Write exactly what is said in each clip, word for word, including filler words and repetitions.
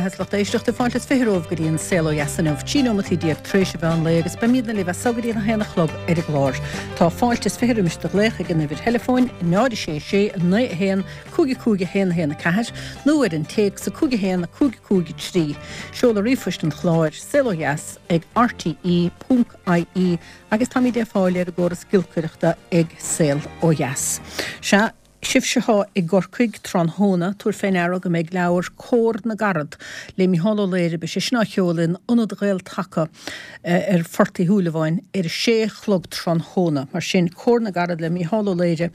beatha is lucht éisteachta fáilte is fiche romhaibh go dtí an Saol Ó Dheas inniu, trí nóimeataí déag tar éis an mheán lae agus beimidne libh as so go dtí an haon a chlog ar an gclár. Tá fáilte is fiche roimis do ghlaoch ag an uimhir theileafóin náid a sé sé naoi a haon cúig a cúig a haon a haon a ceathair nó ar an téacs a cúig a haon a cúig cúig a trí. Seoladh ríomhphoist an chláir saol ó dheas ag rte ponc ie agus táimid ar fáil ar an gcóras giolcaireachta ag Saol Ó Dheas. Sea, sibhse atá i gCorcaigh tráthnóna, tabhair fé ndeara go mbeidh leabhar Comhar na gCarad le Micheál Ó Laoire, beidh sé sin á sheoladh in Ionad Ghael-Taca ar Phort Uí Shúilleabháin ar a sé a chlog tráthnóna. Mar sin, Comhar na gCarad le Micheál Ó Laoire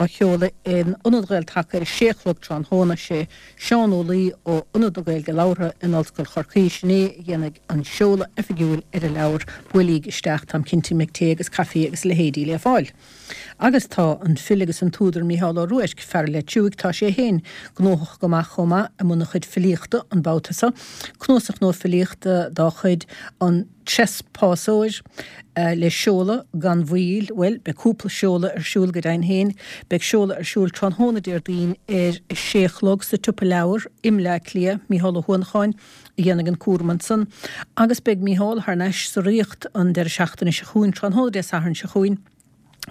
á sheoladh in Ionad Ghael-Taca ar a sé a chlog tráthnóna. Sé Seán Ó Laoi ó Ionad na Gaeilge Labhartha in Ollscoil Chorcaí, sin é a dhéanfaidh an seoladh oifigiúil ar an leabhar. Buailíg isteach, táim cinnte go mbeidh tae agus caife agus a leithéidí le fáil. Agus tá an file agus an t-údar Mícheál Ó Ruairc, fear Leitriúigh, tá sé féin gnóthach go maith chomh maith i mbun a chuid filíochta an babhta seo. Cnuasach nua filíochta dá chuid, An Treaspásóir, le seoladh gan mhoill, bhuel, beidh cúpla seoladh ar siúl go deimhin féin. Beidh seoladh ar siúl tráthnóna Déardaoin ar a sé a chlog sa tSiopa Leabhar i mBleá Cliath, Mícheál Ó hUanacháin a dhéanfaidh an cúram ansan. Agus beidh Mícheál thar n-ais sa Ríocht an deireadh seachtaine seo chugainn, tráthnóna Dé Sathairn seo chugainn,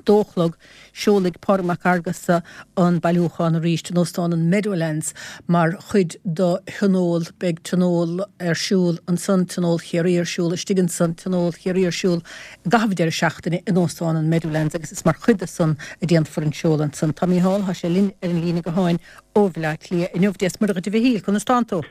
dó a chlog, seolfaidh Pádraig Mac Fhearghusa an bailiúchán arís in Óstán an Meadowlands mar chuid de thionól. Beidh tionól ar siúl ansan, Tionól Chiarraí ar siúl istigh ansan, Tionól Chiarraí ar siúl i gcaitheamh an deireadh seachtaine in Óstán an Meadowlands agus is mar chuid de san a déanfar an seoladh ansan. Tá Mícheál, tá sé linn ar an líne gutháin ó Bhleá Cliath inniu. Dia 's Muire dhuit a Mhichíl, conas tánn tú?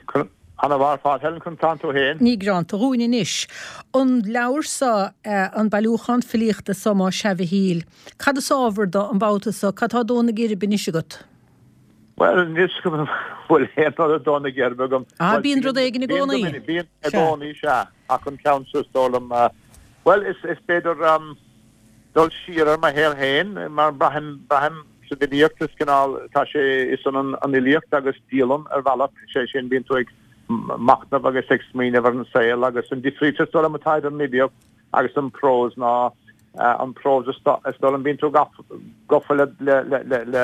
Ana-mhaith ar fad, Helen, conas tánn tú féin? Ní gearánta dhúinn anois. An leabhar so, an bailiúchán filíochta so, más ea a Mhichíl, cad is ábhar do an babhta so? Cad tá ag dó na geirbe anois agat? Bhuel, anois go bhfuil aon rud ag dó na geirbe agam. Ah, bíonn rud éigin i gcónaí. Bíonn i gcónaí, sea. Ach an ceann seo is dóigh liom, bhuel, is b'fhéidir dul siar ar mo shaol féin, mar braithim, braithim sa bhfilíocht, is cineál, tá sé, is ionann an fhilíocht agus dialann ar bhealach, sé sin, bíonn tú ag machnamh agus ag smaoineamh ar an saol agus an difríocht is dóigh liom atá idir an fhilíocht agus an prós ná an prós is dóigh liom bíonn tú gafa le le le le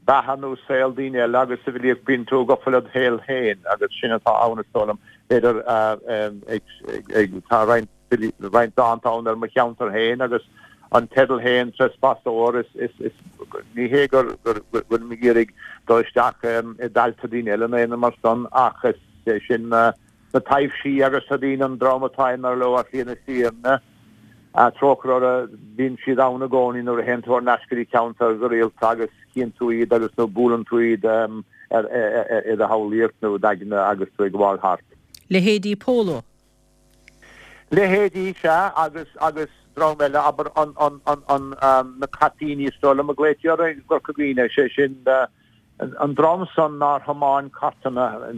beatha nó saol daoine eile agus sa bhfilíocht bíonn tú gafa led shaol féin agus sin atá ann is dóigh liom b'fhéidir ag ag tá roinnt roinnt dánta ann ar mo cheantar féin agus an teideal féin, Trespasóir, is, is, is, ní hé gur, gur, go bhfuilim ag iarraidh dul isteach i dtailte daoine eile nó aon rud mar san ach is é sin na, na taibhsí agus na daoine, an dream atá imithe leo ar shlí na fírinne, trócaire orthu, bíonn siad ann i gcónaí nuair a théann tú thar n-ais go dtí ceantar go rialta agus chíonn tú iad agus nó buaileann tú iad ar, i do shamhlaíocht nó i d'aigne agus tú ag gabháil thart. Leithéidí Polo. Leithéidí, sea, agus, agus dream eile, abair, an, an, an, an, na caipíní is dóigh liom a ghlaoití orthu i gCorca Dhuibhne, sé sin, an dream san nár thiomáin cartanna,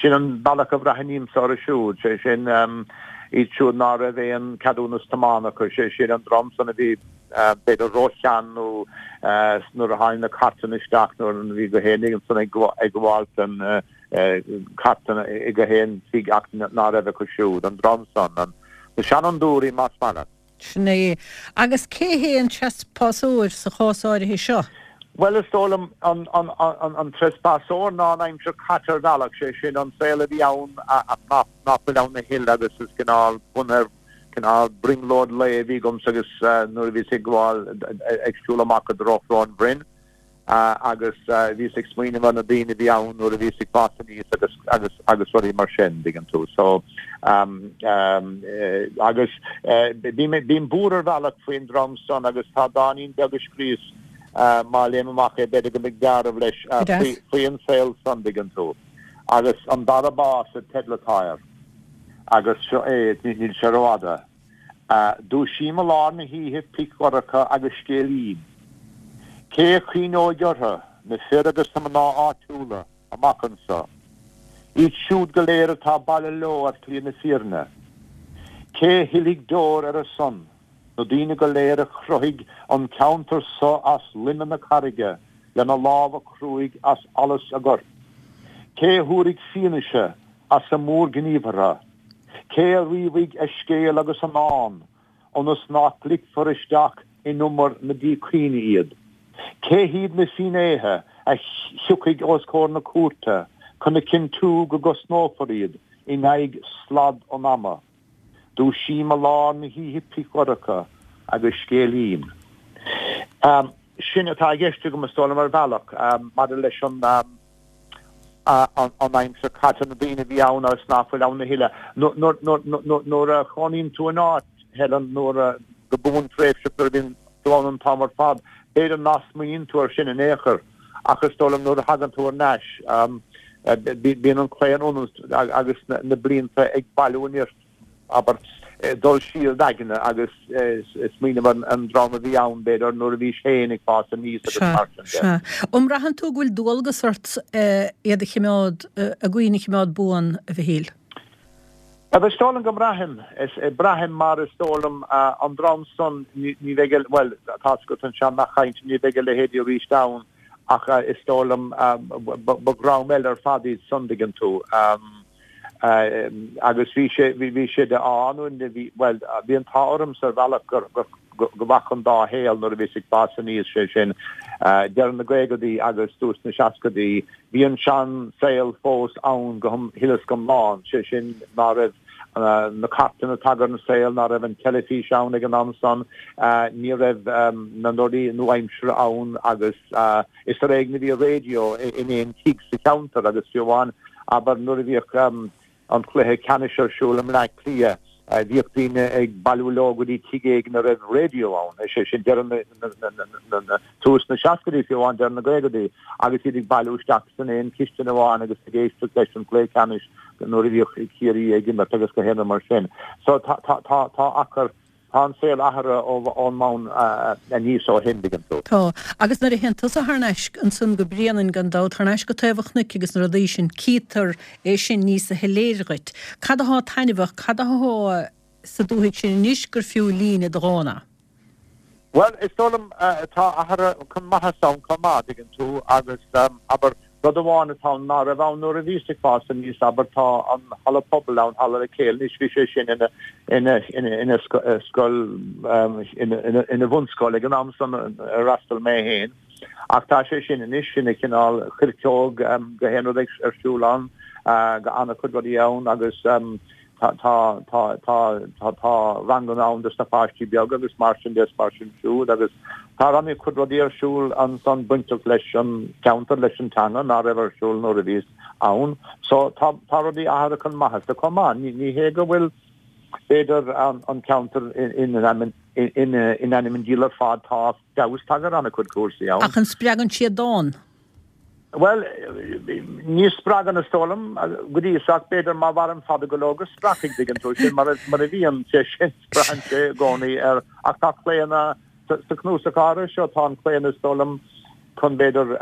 sin an bealach a bhreathnaímse orthu siúd, sé sin, iad siúd ná raibh aon ceadúnas tiomána acu, sé sin, an dream san a bhí, b'fhéidir róshean nó nuair a tháinig na cartanna isteach nuair a bhí gach éinne ansan ag gabháil den, cartanna ag gach aon tigh ach ná raibh acu siúd, an dream san, na seanfhondúirí más maith leat. Sin é. Agus cé hé an treaspásóir sa chás áirithe seo? Bhuel, is dóigh liom an, an, an, an treaspásóir ná an aimsir chaite ar bhealach, sé sin an saol a bhí ann ach nach, nach bhfuil ann a thuilleadh agus is cineál bunaithe ar cineál brionglóid lae a bhí agamsa agus nuair a bhíos ag gabháil ag siúl amach i dtreo Shrón an Bhroin, agus bhíos ag smaoineamh ar na daoine a bhí ann nuair a bhíos ag fás aníos agus agus agus rudaí mar sin, dtuigeann tú. So um, um, agus bím bím buartha ar bhealach faoin dream san agus tá dáinín beag a scríos uh, má léim amach é b'fhéidir go mbeidh dealramh leis uh, faoi, faoi an saol san, dtuigeann tú. Agus an dara bás an teideal atá air. Agus seo é, níl sé rófhada. Dúisím i lár na hoíche pich dhorcha agus scéilím. Cé a chuimhneoidh orthu, na fir agus na mná áitiúla, amach anso? Iad siúd go léir atá baile leo ar shlí na fírinne. Cé a shilfidh deoir ar a son, na daoine go léir a chruthaigh an ceantar so as loime na carraige lena lámha cruaidh as allas a gcoirp? Cé a thabharfaidh fianaise as a mórghníomhartha? Cé a ríomhfaidh a scéal agus a ndán, ionas nach ligfear isteach in umar na díchuimhne iad? Cé hiad na finnéithe a thiocfaidh os comhair na cúirte chun a chinntiú go gcosnófar iad in aghaidh slad an ama. Dúisím i lár na hoíche pichdhorcha agus scéalaím. Sin atá i gceist agam is dóigh liom ar bhealach maidir leis an an aimsir caite, na daoine a bhí ann agus ná fuil ann a thuilleadh. Nuair a chónaíonn tú in áit, Helen, nuair a go buan tréimhseach nuair a bhíonn tú ann an t-am ar fad, b'fhéidir nach smaoiníonn tú air sin in aon chor ach is dóigh liom nuair a thagann tú thar n-ais, bíonn an claonadh ionat agus na blianta ag bailiú nirt, abair, dul siar d'aigne agus smaoineamh ar an dream a bhí ann, b'fhéidir, nuair a bhís féin ag fás aníos agus mar sin de. Sea. An mbraitheann tú go bhfuil dualgas ort iad a choimeád, a gcuimhne a choimeád buan, a Mhichíl? Is dóigh liom go mbraithim. Braithim mar is dóigh liom an dream san ní bheidh a, bhuel, tá 's agat an sean-nath cainte, ní bheidh a leithéidí arís ann ach is dóigh liom ba dhream eile ar fad iad san, dtuigeann tú. Agus bhí sé, bhí sé de ádh nó bhí, bhuel, bhí an t-ádh ormsa ar bhealach gur, gur, go bhfaca an dá shaol nuair a bhíos ag fás aníos, sé sin, deireadh na gcaogaidí agus tús na seascaidí. Bhí an sean-saol fós ann go huile is go hiomlán, sé sin ná raibh na cairteanna tagtha ar an saol, ná raibh an teilifís ann ag an am san, ní raibh na rudaí nua-aimseartha ann agus is ar éigean a bhí raidió in aon tigh sa cheantar agus fiú amháin, abair, nuair a bhíodh an cluiche ceannais ar siúl i mBleá Cliath, Bhíodh daoine ag bailiú leo go dtí tigh éigin a raibh raidió ann, is é sin deireadh na, tús na seascaidí fiú amháin, deireadh na gcaogaidí, agus iad ag bailiú isteach san aon chistin amháin agus ag éisteacht leis an gcluiche ceannais nuair a bhíodh Ciarraí ag imirt agus gach aon rud mar sin. So tá, tá, tá, tá achar, tá an saol athraithe ón mbonn aníos ó shin, dtuigeann tú. Tá. Agus nuair a théann tusa thar n-ais ansan go Bréanainn gan dabht, thar n-ais go taobh an chnoic agus na rudaí sin, cítear é sin níosa shoiléire dhuit. Cad athá taitneamhach, cad athá sa dúthaigh sin anois gur fiú líne de dhán a. Bhuel, is dóigh liom, tá athruithe chun maitheasa ann chomh maith, dtuigeann tú, agus, abair, rud amháin atá ann ná raibh ann nuair a bhíos ag fás aníos, abair, tá an halla pobail ann, Halla Lecale, anois bhí sé sin ina, ina, ina, ina scoil, ina, ina, ina bhunscoil ag an am san ar fhreastail mé féin, ach tá sé sin anois ina chineál choirceog, gach aon rud ar siúl ann, go an-chuid rudaí ann agus, Tá, tá, tá, tá, tá, tá ranganna ann dos na páistí beaga agus mar sin de is mar sin siúd agus tá an-chuid rudaí ar siúl ansan bainteach leis an cheantar, leis an teanga ná raibh ar siúl nuair a bhíos ann. So tá, tá rudaí athraithe chun maitheasa chomh maith. Ní, ní hé go bhfuil b'fhéidir an, an ceantar in, in, in, in, in ainm an diabhail ar fad, tá feabhas tagtha ar an-chuid cúrsaí ann. Ach an spreagann siad dán? Bhuel, ní spreagann is dóigh liom, go dtí so, ach b'fhéidir má mhairim fada go leor go spreagfaidh, dtuigeann tú, sin mar a bhíonn sé sin, braitheann sé i gcónaí ar, ach tá claonadh, sa chnuasach áirithe seo, tá an claonadh is dóigh liom chun b'fhéidir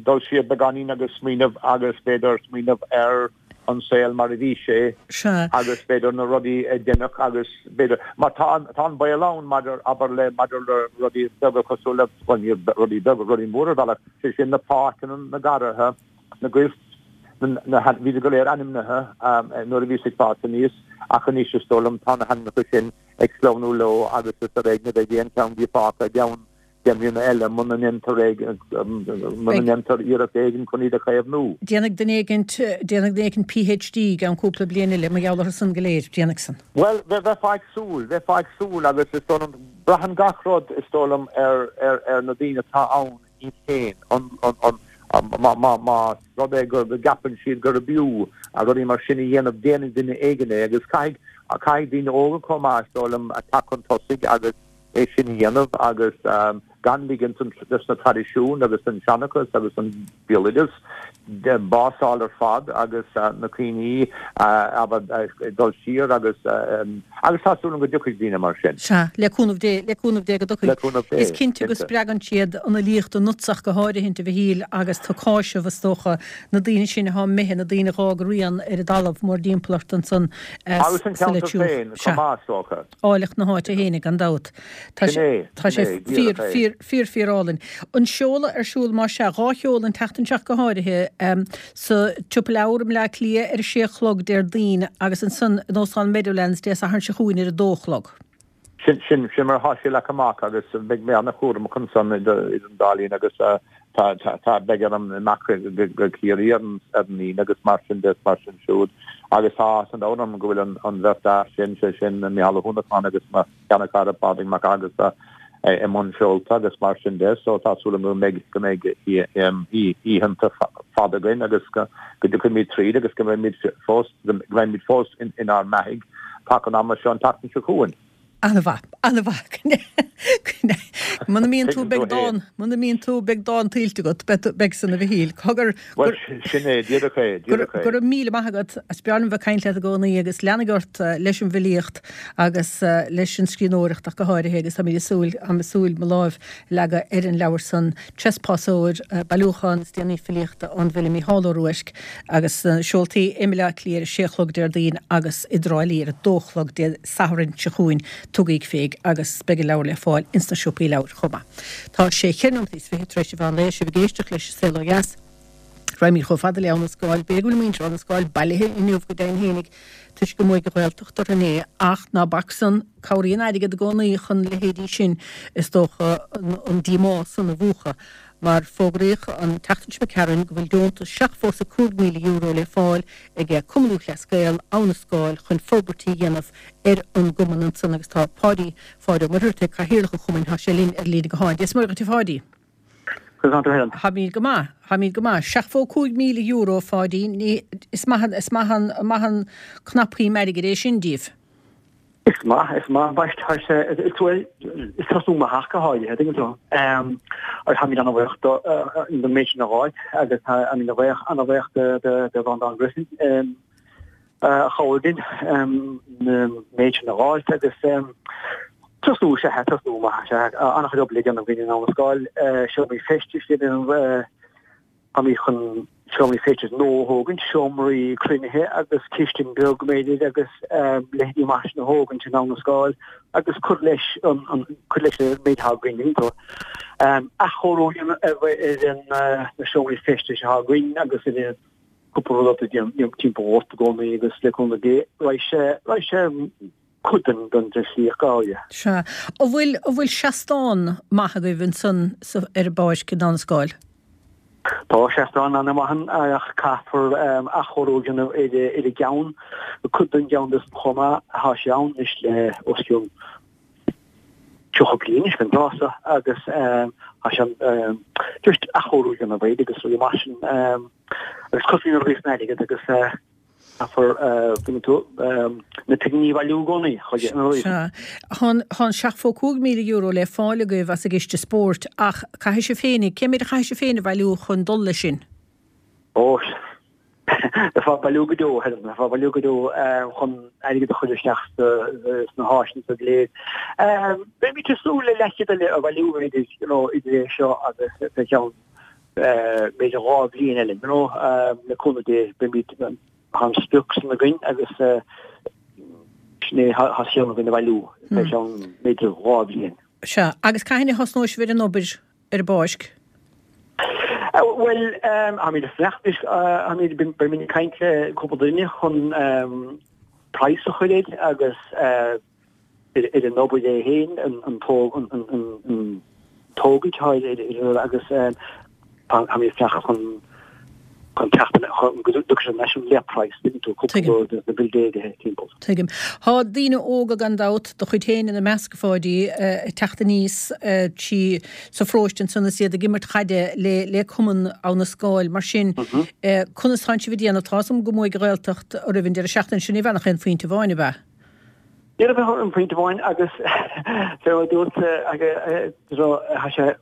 dul siar beagáinín agus smaoineamh agus b'fhéidir smaoineamh ar an saol mar a bhí sé agus b'fhéidir na rudaí a deineadh agus b'fhéidir, mar tá an, tá an baol ann maidir, abair le, maidir le rudaí beaga cosúil le, bhuel ní rudaí beaga, rudaí móra ar bhealach, sé sin na páirceanna, na garraithe, na goirt, na, na, bhíodar go léir ainmnithe nuair a bhíos ag fás aníos ach anois is dóigh liom tá na hainmneacha sin ag sleamhnú leo agus is ar éigean a bheidh aon cheann díobh fágtha i gceann deich mbliana eile muna ndéantar muna ndéantar iarracht éigin chun iad a chaomhnú. Déanfaidh duine éigint, déanfaidh duine éigint PhD i gceann cúpla bliain eile mar gheall orthu san go léir, déanfaidh san. Bhuel, bheifeá ag súil, bheifeá ag súil agus is dóigh liom, braitheann gach rud is dóigh liom ar, ar, ar na daoine atá ann iad féin, an, an, an, má, má, más rud é go, go gceapann siad gurb fhiú rudaí mar sin a dhéanamh, déanfaidh duine éigin é agus caithfidh, caithfidh daoine óga chomh maith is dóigh liom teacht chun tosaigh agus, é sin a dhéanamh agus gan ligint dos na traidisiúin agus an seanchas agus an béaloideas bás a fháil ar fad agus na cuimhní abair dul siar agus agus tá súil agam go dtiocfaidh daoine mar sin. Sea, le cúnamh Dé, le cúnamh Dé go dtiocfaidh. Le cúnamh Dé, Is cinnte go cinnte. spreagann siad an fhilíocht ionatsa ach go háirithint, a Mhichíl, agus tú ag cáiseamh, is dócha, na daoine sin atá imithe, na daoine a dh'fhág a rian ar an dtalamh mórthimpeall ort ansan Agus an sa ceantar Leitir. féin Sea. chomh maith, is dócha. Áilleacht na háite fhéinig, gan dabht. Tá Sin sé, é, tá sin sé é, fíor, díreach é. fíor, fíor, fíor álainn. An seoladh ar siúl, más ea, dhá sheoladh an tseachtain seo go háirithe, sa tSiopa Leabhar i mBleá Cliath ar a sé a chlog Déardaoin agus ansan in Óstán Meadowlands Dé Sathairn seo chugainn ar a dó a chlog. Sin, sin, sin mar atá sé leagtha amach agus beidh mé ana-chúramach ansan idir an dá linn agus tá tá tá beidh orm imeacht go Ciarraí ar an Aoine agus mar sin de mar sin siúd agus tá áthas an domhain orm go bhfuil an bheirt fhear sin sé sin Micheál Ó hUanacháin agus mo sheanchara Pádraig Mac Aonghusa i mbun seolta agus mar sin de so tá súil agam go mbeidh go mbeidh oícheanta fada againn agus go dtiocfaimid tríd agus go mbeimid fós go mbeimid fós inár mbeathaidh taca an ama seo an tseachtain seo chugainn. An-mhaith, an-mhaith. Muna mbíonn tú, beidh dán, muna mbíonn tú, beidh dán tuillte agat, beidh san a Mhichíl. Cogar, Bhuel, sin é, díreach é, díreach é. Go raibh míle maith agat, is breá liom bheith ag caint leat i gcónaí agus leanaigí ort leis an bhfilíocht agus leis an scríbhneoireacht ach go háirithe agus táimid ag súil, táim ag súil mo láimh a leagadh ar an leabhar san, Trespásóir, bailiúchán is déanaí filíochta ón bhfile Mícheál Ó Ruairc agus seoltaí i mBaile Átha Cliath ar a sé a chlog Déardaoin agus i dTrá Lí ar a dó a chlog Dé Sathairn seo chugainn. Tugaig féig agus beidh an leabhar le fáil ins na siopaí leabhair chomh maith. Tá sé cheithre nóiméad is fiche tar éis an mheán lae, sibh ag éisteacht leis An Saol Ó Dheas. Raghaimid chomh fada le Abha na Scáil. B'fhéidir go bhfuil muintir Abha na Scáil bailithe inniu go deimhin fhéinig toisc go mbuaigh an Ghaeltacht orthu inné ach ná bac san, cabhraíonn airgead i gcónaí chun leithéidí sin is dócha an díomá san a mhúchadh. Mar fógraíodh an tseachtain seo imigh tharainn go bhfuil deontas seachtó is a cúig míle euro le fáil ag Cumann Lúthchleas Gael, Abha na Scáil chun forbairtí a dhéanamh ar an gcumann ansan agus tá Páidí, Pháid Ó Muircheartaigh, Cathaoirleach an chumainn, tá sé linn ar líne gutháin. Dia is Muire dhuit a Pháidí. Conas tá tú Helen? Táimid go maith, táimid go maith. Seachtó cúig míle euro a Pháidí, ní, is maith, is maith an, maith an cnapshuim airgid é sin díbh. Is maith, is maith, bhuel, tá sé, is bhuel, is tosú maith ach go háirithe, tuigeann tú. Agus táimid an-bhuíoch don méid sin a fháil agus táimid an-bhuíoch, an-bhuíoch de, de, de Bhreandán Griffin a chabhraigh linn an méid sin a fháil agus tosú is ea, tosú maith is ea, an-chuid obair le déanamh againn in Abha na Scáil, seomraí feistis le déanamh, Táimid chun seomraí feistis nua a thógaint, seomraí cruinnithe agus cistin beag b'fhéidir agus leithéidí mar sin a thógaint in Abha na Scáil agus cur leis an cur leis an méid atá againn iontu. Athchóiriú a dhéanamh ar na seomraí feistis atá againn agus ar cúpla rud atá déanamh timpeall ort i gcónaí agus le cúnamh Dé raghaidh sé raghaidh sé cuid den den tslí ach go háirithe. Sea. An bhfuil an bhfuil seastán maith agaibh ansan sa ar an bpáirc in Abha na Scáil? Tá seastán an-mhaith ann ach caithfear athchóiriú a dhéanamh ar ar an gceann, cuid den gceann de chomh maith. Tá sé ann anois le os cionn tríocha bliain anois den rása agus tá sé just athchóiriú a dhéanamh air agus rudaí mar sin agus cosnaíonn rudaí san airgead agus Caithfear, tuigeann tú, na pinginí a bhailiú i gcónaí chuige an rudaí. Sea. Tá an seachtó cúig míle euro le fáil agaibh as an gCiste Spóirt ach caithfidh sibh féinig, cé méid a chaithfidh sibh féin a bhailiú chun dul leis sin? Ó, bheifeá ag bailiú go deo, Helen, bheifeá ag bailiú go deo chun airgead a chur isteach sna háiseanna go léir. Beimid ag súil le leathchéad eile a bhailiú, b'fhéidir, you know, idir é seo agus fé cheann b'fhéidir dhá bhliain eile, you know, le cúnamh Dé, beimid, tá an sprioc san againn agus sin é, tá sé againn a bhailiú fé cheann b'fhéidir dhá bhliain. Sea, agus cathain a thosnóidh sibh ar an obair ar an bpáirc? Bhuel, táimid ag fanacht anois, táimid, beimid ag caint le cúpla duine chun praghas a chur air agus ar an obair é féin, an tógaint atá air agus táimid ag fanacht chun chun teacht chun go dtiocfaidh sé leis an le praghas, tuigeann tú, cúpla de na buildéirithe timpeall. Tuigim. Tá daoine óga gan dabht, do chuid féin ina measc, a Pháidí, ag teacht aníos trí sa pharóiste ansan is iad ag imirt chaide le le Cumann Abha na Scáil. Mar sin, conas tánn sibh ag déanamh? Tá 'fhios a'm go mbuaigh an Ghaeltacht oraibh an deireadh seachtaine sin, ní bheadh ach aon phointe amháin, ab ea? Ní raibh ach aon phointe amháin agus fé mar a dúirt tá sé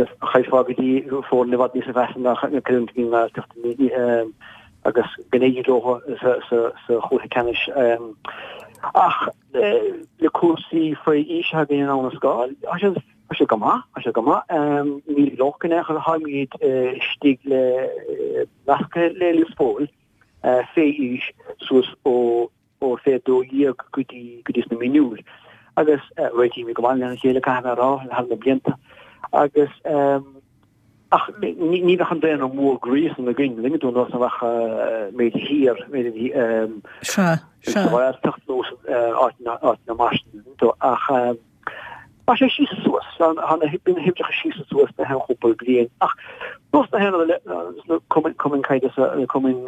chaillfeá go dtí foirne i bhfad níos measa ná na creidiúint na Gaeltachta agus go n-éirí leo sa chluiche ceannais. Ach le cúrsaí faoi aois atá againn in Abha na Scáil, tá sé tá sé go maith, tá sé go maith. Níl locht in aon chor, táimid istigh le nasctha le Lios Póil fé aois suas ó ó fé dó dhéag go dtí go dtí sna mionúir agus réitímid go maith lena chéile caithfidh mé a rá thar na blianta agus ach ní bheadh an daonra mór groí san againn tuigeann tú nós a bheadh b'fhéidir thiar b'fhéidir sa Ghaeltacht nó áiteanna mar sin ach Tá sé síos is suas, tá na bíonn na huimhreacha síos is suas na haon chúpla bliain ach nós na haon le cumainn cumainn caide cumainn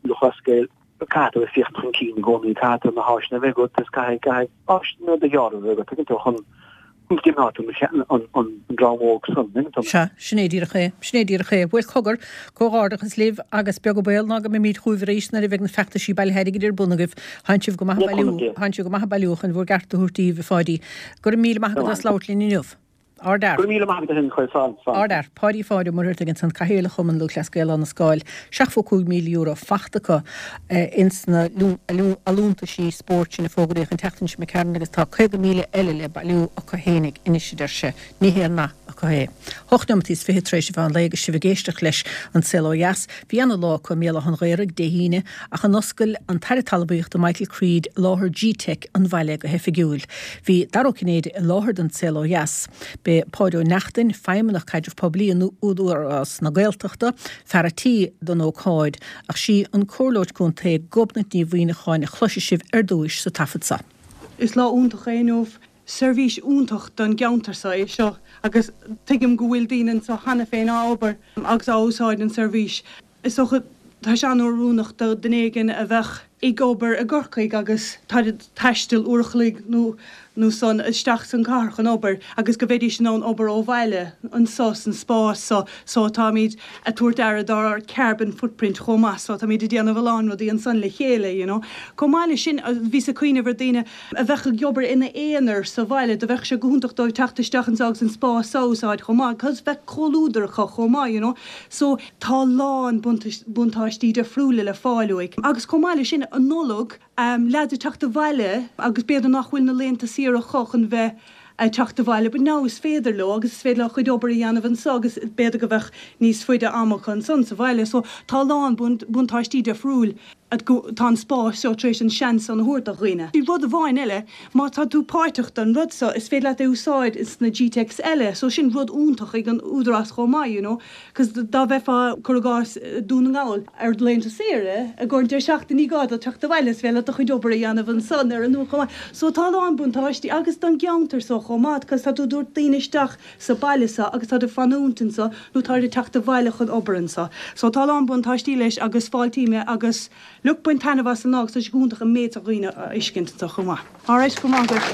Lúthchleas Gael caithfidh tú a féachaint chun cinn i gcónaí caithfidh tú na háiseanna a bheith agat is caithfidh caithfidh áiseanna de ghearr a bheith agat tuigeann tú chun chun gcimeád tú an an dream óg san tuigeann tú. Sea, sin é díreach é, sin é díreach é. Bhuel cogar, comhghairdeachas libh agus beag an baol ná go mbeimid chugaibh arís nuair a bheidh na feachtaisí bailithe airgid ar bun agaibh. Tánn sibh go maith ag bailiú, tánn sibh go maith ag bailiú chun bhur gceart a thabhairt daoibh, a Pháidí. Go raibh míle maith agat as labhairt linn inniu. Ardfhear. Go raibh míle maith agat a Chuir, slán, slán. Ardfhear. Páidí Pháid Ó Muircheartaigh ansan, Cathaoirleach Chumann Lúthchleas Gael Áth na Scáil. Seachtó cúig míle euro fachta acu ins na allúntaisí spóirt sin a fógraíodh an tseachtain seo imigh tharainn agus tá caoga míle eile le bailiú acu fhéinig anois a deir sé. Ní haon nath acu é. Hocht neomataí is fiche tar éis an mheán lae agus sibh ag éisteacht leis An Saol Ó Dheas. Bhí ana lá acu i mBéal Átha an Ghaorthaidh Dé hAoine ach an oscail an tAire Talmhaíochta Michael Creed láthair G-Teic an bhaile go hoifigiúil. Bhí Dara Ó Cinnéide i láthair don Saol Ó Dheas. B'é Páid Ó Neachtain, Feidhmeannach Caidrimh Poiblí in Údarás na Gaeltachta, fear a' tí don ócáid ach sí an Comhairleoir Contae Gobnait Ní Mhuineacháin a chloisfidh sibh ar dtúis sa taifead seo. Is lá iontach é inniu. Seirbhís iontach don gceantar seo é seo agus tuigim go bhfuil daoine anseo cheana féin á obair agus á úsáid an seirbhís. Is dócha tá sé an-oiriúnach do dhuine éigin a bheadh ag obair i gCorcaigh agus tá ag taisteal uair a chloig nó nó san isteach san cathair chun obair agus go bheidís in ann obair ó bhaile anseo san spás seo so táimid ag tabhairt aire dár carbon footprint chomh maith so táimid ag déanamh a lán rudaí ansan le chéile you know. Chomh maith leis sin bhíos ag cuimhneamh ar daoine a bheadh ag obair ina aonar sa bhaile do bheadh sé go hiontach dóibh teacht isteach anseo agus an spás seo a úsáid chomh maith cos bheadh comhluadar acu chomh maith you know. So tá a lán buntáistí difriúla le fáil uaidh. Agus chomh maith leis sin an Nollaig, leaids ag teacht abhaile agus b'fhéidir nach bhfuil na laethanta saoire acu chun bheith ag teacht abhaile but now is féidir leo agus is féidir leo a chuid obair a dhéanamh anseo agus b'fhéidir go bheadh níos faide ama acu ansan sa bhaile. So tá a lán buntáistí difriúil tá an spás seo tar éis an seans san a thabhairt do dhaoine. Rud amháin eile, má tá tú páirteach don rud seo, is féidir leat é úsáid sna GTeics eile, so sin rud iontach ag an Údarás chomh maith, you know, cos dá mbeifeá, cuir i gcás, Dún na nGall ar laethanta saoire i gcomhair an deireadh seachtaine ní gá duit teacht abhaile, is féidir leat do chuid obair a dhéanamh ansan ar an uair chomh maith. So tá a lán buntáistí agus don gceantar seo chomh maith, cos tá tú ag tabhairt daoine isteach sa baile seo agus táid ag fanúint anso nó táid ag teacht abhaile chun obair anso. So tá a lán buntáistí leis agus fáiltím é agus look bain taitneamh as an lá agus tá sé go hiontach an méid seo dhaoine a fheiscint anso chomh maith. Alright, go raibh maith agat.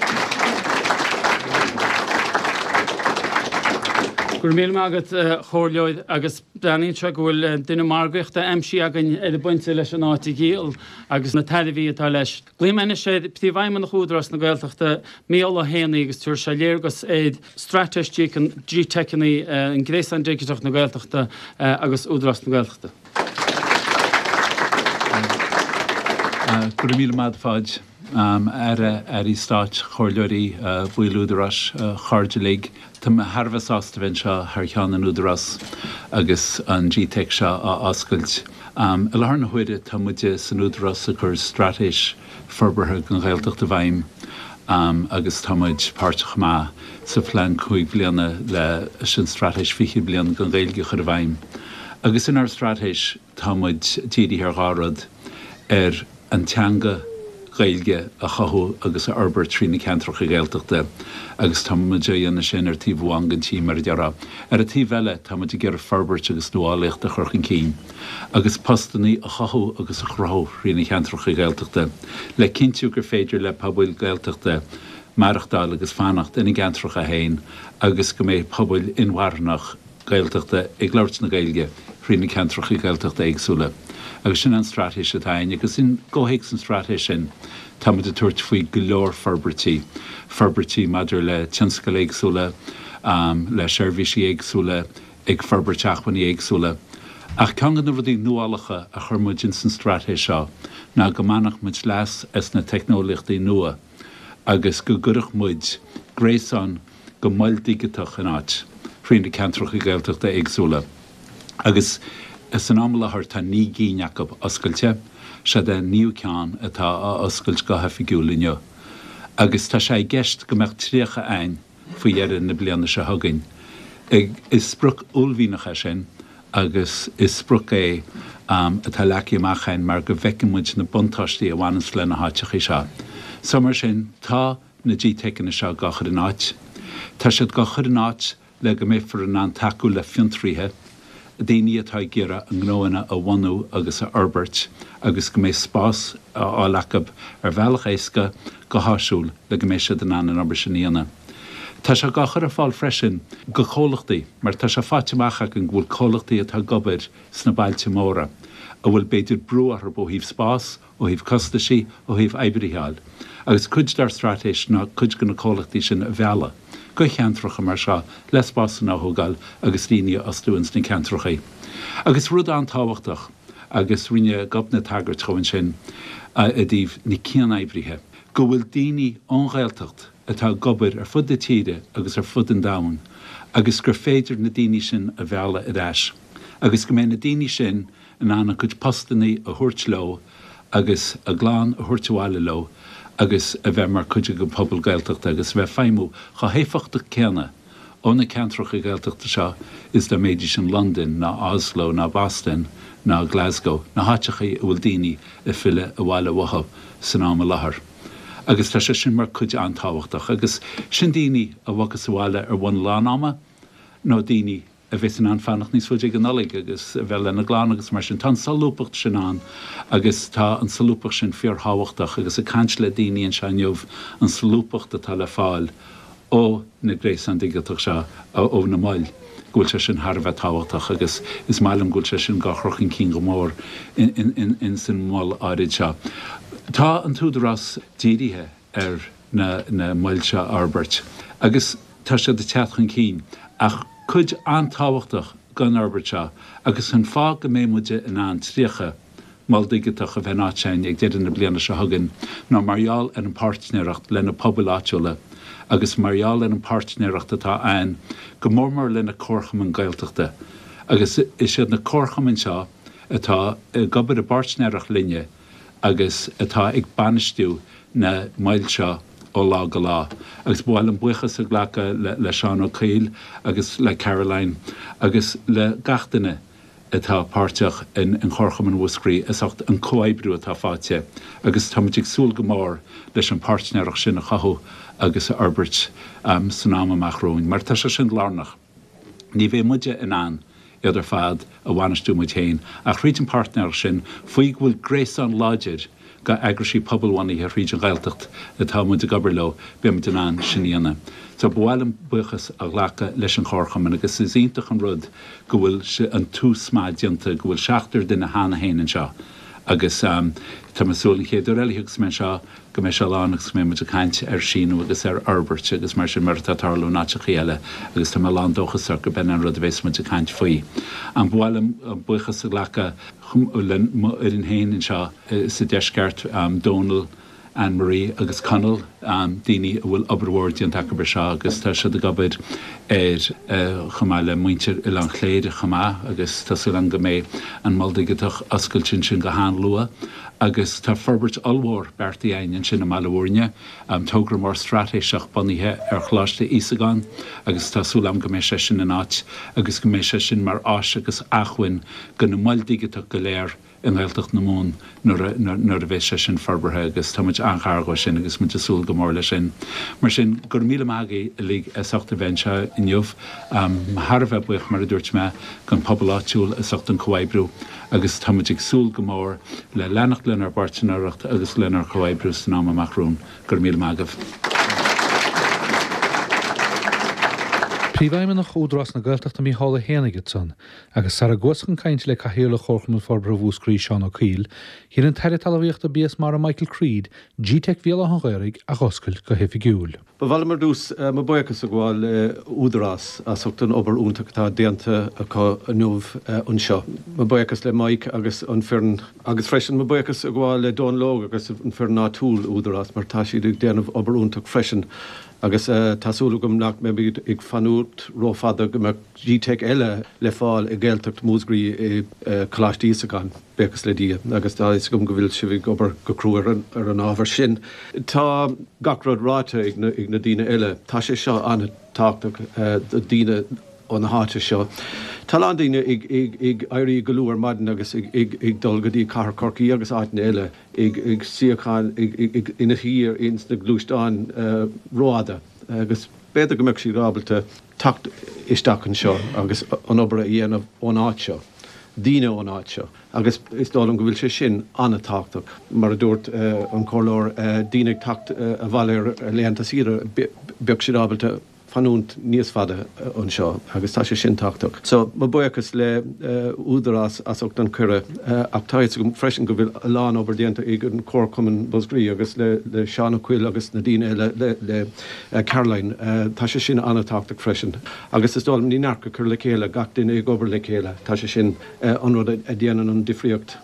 Go raibh míle maith agat, a Chomhairleoir, agus breathnaíonn sé go bhfuil duine margaíochta aimsithe againn ar an bpointe leis an áit a dhíol agus na tairbhí atá leis. Glaofaidh mé anois ar Phríomhfheidhmeannach Údarás na Gaeltachta, Mícheál Ó hÉanaí agus tabharfaidh sé léargas ar straitéis G-Teiceanna, an Gréasán Digiteach na Gaeltachta agus Údarás na Gaeltachta. Go raibh míle maith agat, a Pháid. Aire, Airí Stáit, Comhairleoirí, baill Údaráis, a chairde uilig, tá mé thar a bheith sásta bheith anseo thar cheann an Údarás agus an G-Teic seo á oscailt. I láthair na huaire tá muide san Údarás ag cur straitéis forbartha don Ghaeltacht i bhfeidhm agus tá muid páirteach chomh maith sa phlean cúig bliana leis an straitéis fiche bliain don Ghaeilge a chur i bhfeidhm. Agus inár straitéis tá muid dírithe ar dhá rud, ar an teanga Ghaeilge a chothú agus a fhorbairt trí na ceantracha Gaeltachta agus tá muid á dhéanamh sin ar taobh amháin den tí, mar a déarfá. Ar an taobh eile, tá muid ag iarraidh forbairt agus nuálaíocht a chur chun cinn agus postannaí a chothú agus a chruthú thrí na ceantracha Gaeltachta le cinntiú gur féidir le pobail Gaeltachta maireachtáil agus fanacht ina gceantracha féin agus go mbeidh pobail inmharthanach Gaeltachta ag labhairt na Gaeilge thrí na ceantracha Gaeltachta éagsúla. Agus sin an straitéis atá againn agus in gcomhthéacs an straitéis sin tá muid ag tabhairt faoi go leor forbairtí, forbairtí maidir le tionscail éagsúla, le seirbhísí éagsúla, ag forbairt acmhainní éagsúla. Ach ceann de na rudaí nuálacha a chuir muid ins an straitéis seo ná go mbainfeadh muid leas as na teicneolaíochtaí nua agus go gcuirfeadh muid gréasán de mhoil dhigiteach in áit thrí na ceantracha Gaeltachta éagsúla agus san am i láthair tá naoi gcinn acu oscailte, seod é an naoú ceann atá á oscailt go hoifigiúil inniu agus tá sé i gceist go mbeadh tríocha a'ainn faoi dheireadh na bliana seo chugainn. Is sprioc uaillmhianach é sin agus is sprioc é atá leagtha amach a'ainn mar go bhfeiceann muid na buntáistí a bhaineanns le na háiteachaí seo. So mar sin tá na G-Teiceanna seo dhá chur in áit. Tá siad dhá chur in áit le go mbeifear in ann tacú le fiontraithe, daoine atá ag iarraidh a ngnóanna a bhunú agus a fhorbairt agus go mbeidh spás á fháil acu ar bhealach éasca go háisiúil le go mbeidh siad in ann an obair sin a dhéanamh. Tá sé dhá chur ar fáil freisin go comhlachtaí mar tá sé faighte amach againn go bhfuil comhlachtaí atá ag obair sna bailte móra a bhfuil b'fhéidir brú orthu ó thaobh spás, ó thaobh costaisí, ó thaobh oibrithe a fháil. Agus cuid dár straitéis ná cuid de na comhlachtaí sin a mhealladh go ceantracha mar seo le spásanna a thógáil agus daoine a fhostú ins na ceantracha. Agus rud an-tábhachtach, agus rinne Gobnait tagairt dhó ansin i dtaobh na cianoibrithe, go bhfuil daoine ón Ghaeltacht atá ag obair ar fud na tíre agus ar fud an domhain agus gur féidir na daoine sin a mhealladh ar ais agus go mbeidh na daoine sin in ann a gcuid postanna a thabhairt leo agus a gclann a thabhairt abhaile leo agus a bheith mar chuid den phobal Gaeltachta agus a bheith ag feidhmiú chomh héifeachtach céanna ó na ceantracha Gaeltachta seo is dá mbeidís in Londain ná Oslo ná Boston ná Glasgow, na háiteacha a bhfuil daoine ag filleadh abhaile uathu san am i láthair. Agus tá sé sin mar chuid an-tábhachtach. Agus sin daoine a bhogas abhaile ar bhonn lán-ama nó daoine a bheas in ann fanacht níos faide ag an Nollaig agus a bheith lena gclann agus mar sin. Tá an solúbthacht sin ann agus tá an solúbthacht sin fíorthábhachtach agus ag caint le daoine anseo inniu an solúbthacht atá le fáil ó na gréasáin digiteach seo, ó na moil, go bhfuil sé sin thar a bheith tábhachtach agus is maith liom go bhfuil sé sin dhá chur chun cinn go mór in san mol áirid seo. Tá an tÚdarás dírithe ar na na moil seo a fhorbairt agus tá siad ag teacht chun cinn ach cuid an-tábhachtach den fhorbairt seo agus an fáth go mbeidh muide in ann tríocha mol digiteach a bheith in áit againn ag deireadh na bliana seo chugainn ná mar gheall ar an bpáirtnéireacht le na pobail áitiúla agus mar gheall ar an bpáirtnéireacht atá ann go mór mór le na comharchumainn Gaeltachta agus is iad na comharchumainn seo atá ag obair i bpáirtnéireacht linne agus atá ag bainistiú na moil seo ó lá go lá. Agus ba mhaith liom buíochas a ghlacadh le Seán Ó Cuill agus le Caroline agus le gach duine atá páirteach in Chomharchumann Mhúscraí as ucht an comhoibriú atá faighte agus táimid ag súil go mór leis an páirtnéireacht sin a chothú agus a fhorbairt san am amach romhainn mar tá sé sin lárnach. Ní bheidh muide in ann iad ar fad a bhainistiú muid féin ach thríd an páirtnéireacht sin faoi go bhfuil gréasán láidir go eagraisí pobalbhunaithe thríd an Ghaeltacht atá muid ag obair leo, beidh muid in ann sin a dhéanamh. So ba mhaith liom buíochas a ghlacadh leis an Chomharchumann agus is iontach an rud go bhfuil an tús maith déanta, go bhfuil seachtar duine cheana féin anseo agus tá mé ag súil an chéad uair eile a thiocfas mé anseo go mbeidh sé lán agus go mbeidh muid ag caint ar síniú agus ar fhorbairt agus mar sin mar atá ag tarlú in áiteachaí eile agus tá mé lán dóchasach gurb in an rud a bheas muid ag caint faoi. Ba mhaith liom buíochas a ghlacadh le mo fhoireann féin anseo sa deisceart, Dónal, Anne Marie agus Conall, daoine a bhfuil obair mhór déanta acu air seo agus tá siad ag obair air chomh maith le muintir Oileán Chléire chomh maith agus tá súil agam go mbeidh an Mol Digiteach oscailte ansin go han-luath agus tá forbairt ollmhór beartaithe againn ansin i mBaile Bhúirne, togra mór straitéiseach bunaithe ar Choláiste Íosagáin agus tá súil agam go mbeidh sé sin in áit agus go mbeidh sé sin mar áis agus acmhainn do na moil dhigiteach go léir i nGaeltacht na Mumhan nuair a bheas sé sin forbartha agus tá muid an-ghar dhó sin agus muid ag súil go mór leis sin. Mar sin, go raibh míle maith agaibh uilig as ucht a bheith anseo inniu. Thar a bheith buíoch, mar a dúirt mé, don phobal áitiúil as ucht an comhoibriú agus tá muid ag súil go mór le leanacht lenár bpáirtnéireacht agus lenár comhoibriú san am amach romhainn. Go raibh míle maith agaibh. Príomhfheidhmeannach Údarás na Gaeltachta Micheál Ó hÉanaigh ansan, agus sara gcuathas chun cainte le Cathaoirleach Chomharchumann Forbartha Mhúscraí Seán Ó Cuill, dhein an tAire Talmhaíochta Bia is Mara Michael Creed G-Teic Bhéal Átha an Ghaorthaidh a dh'oscailt go hoifigiúil. Ba mhaith liom ar dtús mo buíochas a ghabháil le Údarás as ucht an obair iontach atá déanta acu inniu anseo. Mo buíochas le Mike agus an foireann agus freisin mo buíochas a ghabháil le Dónal Óg agus an foireann áitiúil Údarás mar tá siad ag déanamh obair iontach freisin agus tá súil agam nach mbeimid ag fanúint rófhada go mbeadh G-Teic eile le fáil i Gaeltacht Mhúscraí i Coláiste Íosagáin, buíochas le Dia, agus tá fhios agam go bhfuil sibh ag obair go crua ar an ábhar sin. Tá gach rud ráite ag na daoine eile. Tá sé seo an-tábhachtach do daoine ó na háite seo. Tá a lán daoine ag éirí go luath ar maidin agus ag dul go dtí cathair Chorcaí agus áiteanna eile. ag suíochán ina shuí ins na gluaisteáin rófhada agus B'fhéidir go mbeadh siad ábalta teacht isteach anseo agus an obair a dhéanamh ón áit seo, daoine ón áit seo. Agus is dóigh liom go bhfuil sé sin an-tábhachtach. Mar a dúirt an Comhairleoir, daoine ag teacht abhaile ar laethanta saoire, bheadh siad ábalta fanúint níos fada anseo agus tá sé sin tábhachtach. So, mo buíochas le Údarás as ucht an cuireadh ach tá fhios agam freisin go bhfuil a lán obair déanta ag an Comharchumann Mhúscraí agus le le Seán Ó Cuill agus na daoine eile le le Caroline. Tá sé sin an-tábhachtach freisin. Agus is dóigh liom ní neart go cur le chéile, gach duine ag obair le chéile, tá sé sin an rud a dhéanann an difríocht.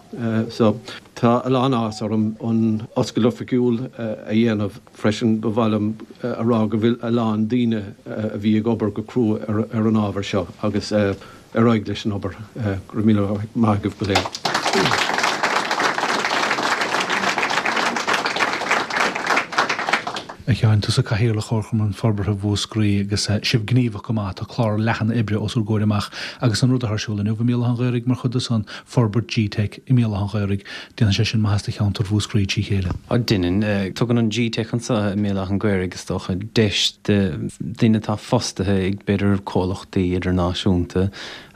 So, tá a lán áthas orm an oscailt oifigiúil a dhéanamh freisin. Ba mhaith liom a rá go bhfuil a lán daoine a bhí ag obair go crua ar an ábhar seo agus ar aghaidh leis an obair. Go raibh míle maith agaibh go léir. A Sheáin, tusa Cathaoirleach Chomharchumann Forbartha Mhúscraí agus sibh gníomhach go maith, tá clár leathan oibre os bhur gcomhair amach agus an rud atá ar siúl inniu i mBéal Átha an Ghaorthaidh mar chuid de san, forbairt G-Teic i mBéal Átha an Ghaorthaidh, déanann sé sin maitheas do cheantar Mhúscraí trí chéile. Á, déanann. Tugann an G-Teic anseo i mBéal Átha an Ghaorthaidh, is dócha, deis do dhaoine atá fostaithe ag b'fhéidir comhlachtaí idirnáisiúnta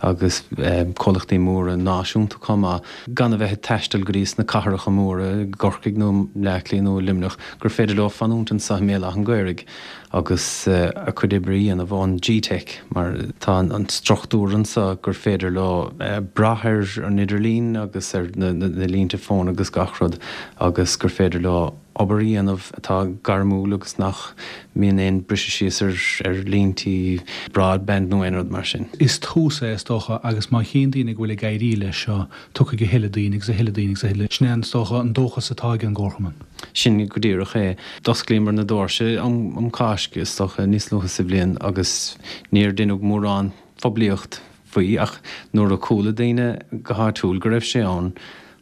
agus comhlachtaí móra náisiúnta chomh maith, gan a bheith ag taisteal go dtí sna cathracha móra, i gCorcaigh nó i mBleá Cliath nó i Luimneach, gur féidir leo fanúint anseo i mBéal Átha an Ghaorthaidh agus a gcuid oibre a dhéanamh ón G-Teic mar tá an struchtúr anseo gur féidir leo brath ar an idirlíon agus ar na línte fóin agus gach rud agus gur féidir leo obair a dhéanamh atá gairmiúil agus nach mbíonn aon briseadh síos ar ar líntí broadband nó aon rud mar sin. Is tús é, is dócha, agus má chíonn daoine go bhfuil ag éirí leis seo, tiocfaidh a thuilleadh daoine agus a thuilleadh daoine agus a thuilleadh. Sin é, is dócha, an dóchas atá ag an gComharchumann. Sin go díreach é. D'osclaíomar na doirse um um Cáisc, is dócha, níos luaithe sa bhliain agus níor deineadh mórán poiblíocht faoi ach nuair a chuala daoine go háitiúil go raibh sé ann,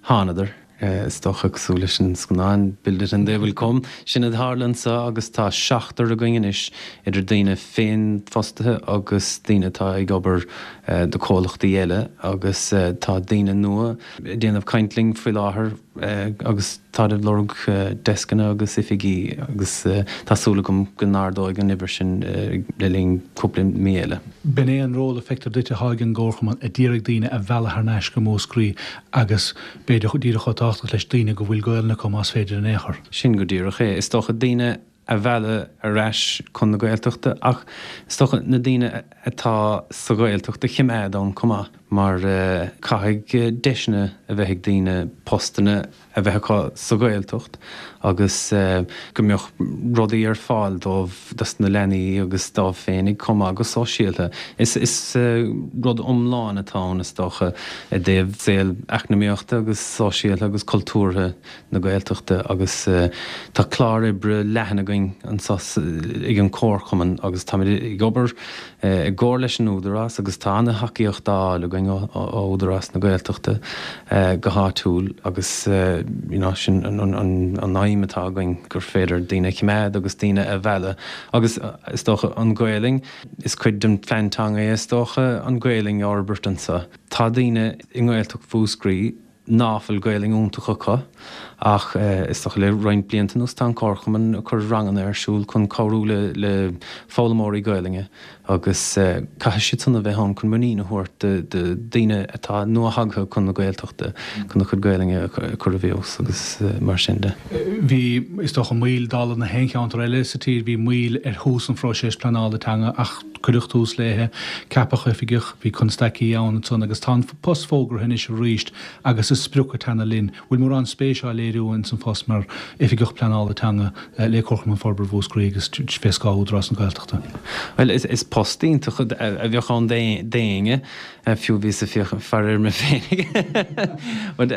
thánadar. Is dócha, cosúil leis an scannán Build it and they will come, sin a tharla anseo agus tá seachtar againn anois, idir daoine féinfhostaithe agus daoine atá ag obair do chomhlachtaí eile agus tá daoine nua ag déanamh caint linn faoi láthair agus táid ag lorg deascanna agus oifigí agus tá súil agam go n-ardóidh an uimhir sin le linn cúpla mí eile. B'in é an ról a feictear duit atá ag an gComharchumann, a d'iarraidh daoine a mhealladh thar n-ais go Múscraí agus b'fhéidir díreach chomh tábhachtach leis daoine go bhfuil Gaolainn acu más féidir in aon chor. Sin go díreach é. Is dócha daoine a mhealladh ar ais chun na Gaeltachta ach is dócha na daoine atá sa Ghaeltacht a choimeád ann chomh maith mar caithfidh deiseanna a bheith ag daoine postanna a bheith acu sa Ghaeltacht agus go mbeadh rudaí ar fáil dóibh, dos na leanaí agus dóibh féinig chomh maith go sóisialta. Is rud iomlán atá ann is dócha i dtaobh saol eacnamaíochta agus sóisialta agus cultúrtha na Gaeltachta agus tá clár oibre leathan againn anseo ag an Chomharchumann agus táimid ag obair i gcomhar leis an Údarás agus tá ana-thacaíocht á fháil againn ó Údarás na Gaeltachta go háitiúil agus you know sin an aidhm atá againn gur féidir daoine a choimeád agus daoine a mhealladh agus is dócha an Ghaelainn, is cuid den phlean teanga é is dócha an Ghaelainn a fhorbairt anseo. Tá daoine i nGaeltacht Mhúscraí ná fuil Gaelainn iontach acu ach is dócha le roinnt blianta anuas tá an Comharchumann ag cur ranganna ar siúl chun cabhrú le le foghlaimeoirí Gaelainne agus caithfidh siad san a bheith ann chun muinín a thabhairt do do daoine atá nua-thagtha chun na Gaeltachta chun a chuid Gaelainne a chur i bhfeabhas agus mar sin de. Bhí, is dócha, moill dála na haon cheantar eile sa tír, bhí moill ar thús an phróiseas pleanála teanga ach cuireadh tús léithe, ceapadh oifigeach, bhí constaicí ann ansan agus tá an post fógartha anois arís agus is sprioc ag teannadh linn. Bhfuil mórán spéis á léiriú ins an phost mar Oifigeach Pleanála Teanga le Comharchumann Forbartha Mhúscraí agus fé scáth Údarás na Gaeltachta? Bhuel, is post iontach a bheadh ann d'éinne, fiú bhíos ag féachaint faire ar mé féinig. But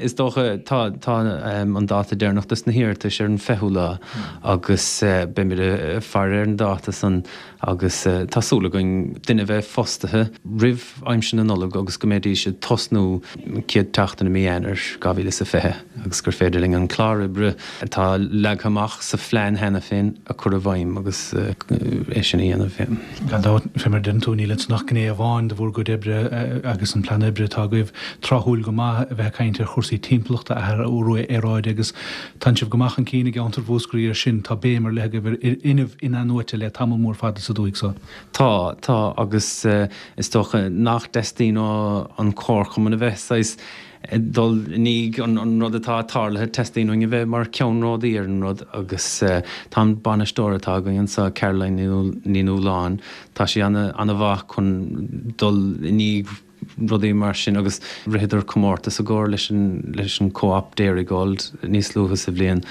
is dócha, tá tá an dáta deireanach dos na hiarratais ar an fichiú lá agus beimid ag faire ar an dáta san agus tá súil againn duine a bheith fostaithe roimh aimsir na Nollag agus go mbeidís ag tosnú an chéad tseachtain seachtain i mí Eanáir dhá mhíle is a fiche agus gur féidir linn an clár oibre atá leagtha amach sa phlean cheana féin a chur i bhfeidhm agus é sin a dhéanamh. Gan dabht, fé mar a deireann tú, níl ansan ach gné amháin de bhur gcuid oibre agus an plean oibre atá agaibh tráthúil go maith a bheith ag caint ar chúrsaí timpeallachta, athrú aeráide agus tánn sibh go maith chun cinn i gceantar Mhúscraí ar sin. Tá béim ar leith agaibh ar fhuinneamh in-athnuaite le tamall mór fada sa dúthaigh so. Tá, tá agus is dócha nach dteastaíonn ó an Comharchumann a bheith saghas ag dul i ndiaidh an rud atá tarlaithe, teastaíonn uainn a bheith mar ceannródaí ar an rud agus tá an bainisteoir atá againn anseo, Caroline Ní Nualláin, tá sí ana-mhaith chun dul i ndiaidh rudaí mar sin agus ritheadar comórtas i gcomhar leis an leis an Co-op Dairygold níos luaithe sa bhliain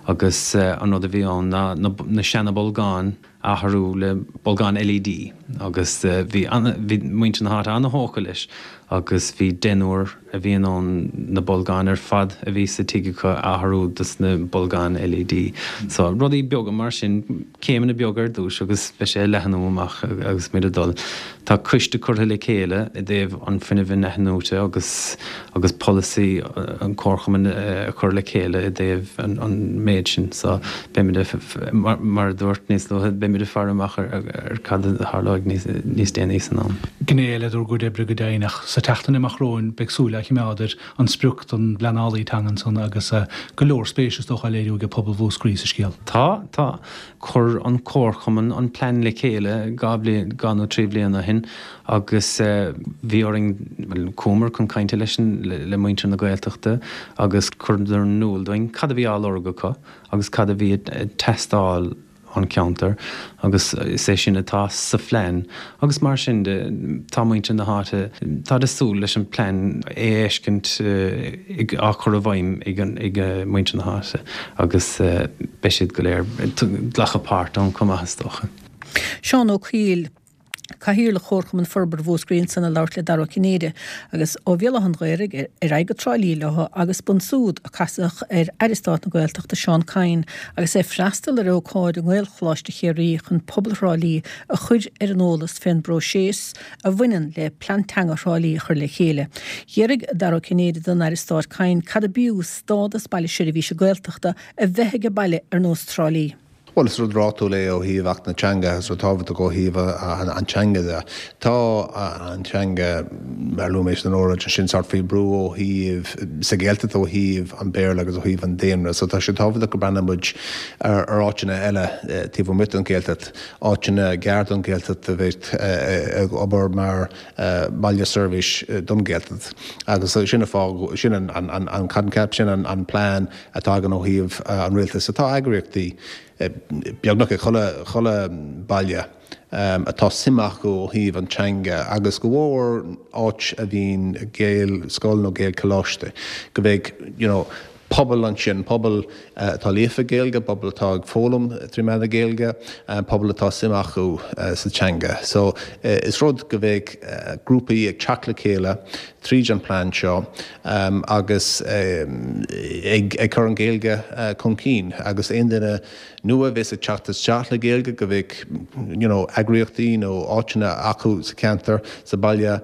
agus an rud a bhí ann ná na seana bolgáin a athrú le bolgáin LED agus bhí bhí muintir na háite ana-thógtha leis agus bhí deichniúr a bhí in ann na bolgáin ar fad a bhí sa tigh acu a athrú dos na bolgáin LED. So rudaí beaga mar sin, céimeanna beaga ar dtús agus beidh sé ag leathnú amach agus muid ag dul. Tá coiste curtha le chéile i dtaobh an fuinnimh in-athnuaite agus agus polasaí an Chomharchumainn a chur le chéile i dtaobh an méid sin. So beimid mar a dúirt níos luaithe, beimid ag faire amach ar cad a tharlóidh níos déanaí san am. Gné eile dár gcuid oibre go deimhin ach sa tseachtain amach romhainn beidh súil á choimeád ar an sprioc don bpleanálaí teanga ansan agus go leor spéise is dócha á léiriú ag pobal Mhúscraí sa scéal. Tá, tá. Chuir an Comharchumann an plean le chéile dhá bliain, dhá nó trí bliana ó shin agus bhí orainn, bhuel, chuamar chun cainte leis an, le muintir na Gaeltachta agus chuireadar in iúl dúinn cad a bhí á lorg acu agus cad a bhí ag teastáil ón cheantar agus is é sin atá sa phlean agus mar sin de tá muintir na háite, táid ag súil leis an plean a fheiscint á chur i bhfeidhm ag muintir na háite agus beidh siad go léir ag glacadh páirt ann chomh maith is dócha. Seán Ó Cuív. Cathaoirleach Chomharchumann Forbartha Mhúscraí ansan ag labhairt le Dara Ó Cinnéide agus ó Bhéal Átha an Ghaorthaidh ar aghaidh go Trá Lí leo agus b'ansúd a casadh ar Aire Stáit na Gaeltachta Seán Kyne agus é ag freastal ar ócáid i nGaelcholáiste Chiarraí chun pobal Thrá Lí a chur ar an eolas fén bpróiseas a bhaineann le Plean Teanga Thrá Lí a chur le chéile. D'fhiafraigh Dara Ó Cinnéide den Aire Stáit Kyne cad ab fhiú stádas Baile Seirbhíse Gaeltachta a bheith ag baile ar nós Trá Lí. Bhuel, is rud rátúil é ó thaobh Acht na Teanga, is rud tábhachtach ó thaobh an teanga de. Tá an teanga, mar a luaigh mé san óráid ansin, sórt faoi brú ó thaobh, sa Ghaeltacht ó thaobh an Béarla agus ó thaobh an daonra. So tá sé tábhachtach go mbreathnaíonn muid ar áiteanna eile taobh amuigh den Ghaeltacht, áiteanna gar don Ghaeltacht a bheith ag obair mar baile seirbhís don Ghaeltacht. Agus sin an fáth, sin an coincheap, sin an plean atá againn ó thaobh an rialtais. Tá eagraíochtaí beagnach ag chuile, chuile baile atá suim acu ó thaobh an teanga agus go mhór áit a bhíonn Gaelscoil nó Gaelcholáiste, go mbeidh you know pobal ansin, pobal atá líofa Gaeilge, pobal atá ag foghlaim trí mheán na Gaeilge, pobal atá suim acu sa teanga. So is rud go mbeidh grúpaí ag teacht le chéile tríd an plean seo agus ag cur an Ghaeilge chun cinn agus aon duine nua a bheas ag teacht isteach le Gaeilge go mbeidh you know eagraíochtaí nó áiteanna acu sa cheantar, sa baile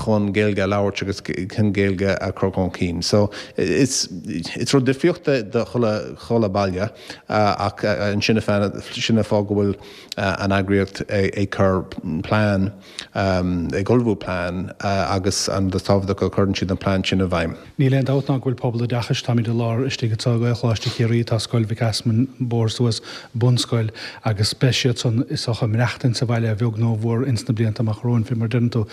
chun Gaeilge a labhairt agus chun Gaeilge a chur chun cinn. So is it's rud difríocht do chuile chuile baile ach ansin sin an fáth go bhfuil an eagraíocht ag cur plean ag ullmhú plean agus an rud is tábhachtach go gcuireann siad an plean sin i bhfeidhm. Níl aon dabht ná go bhfuil pobal oideachais, táimid i lár istigh anseo i Gaelcholáiste Chiarraí, tá Scoil Mhic Easmainn an bóthar suas, bunscoil, agus beidh siad san is dócha ag maireachtaint sa bhaile a bheag nó a mhór ins na blianta amach romhainn, fé mar a deireann tú.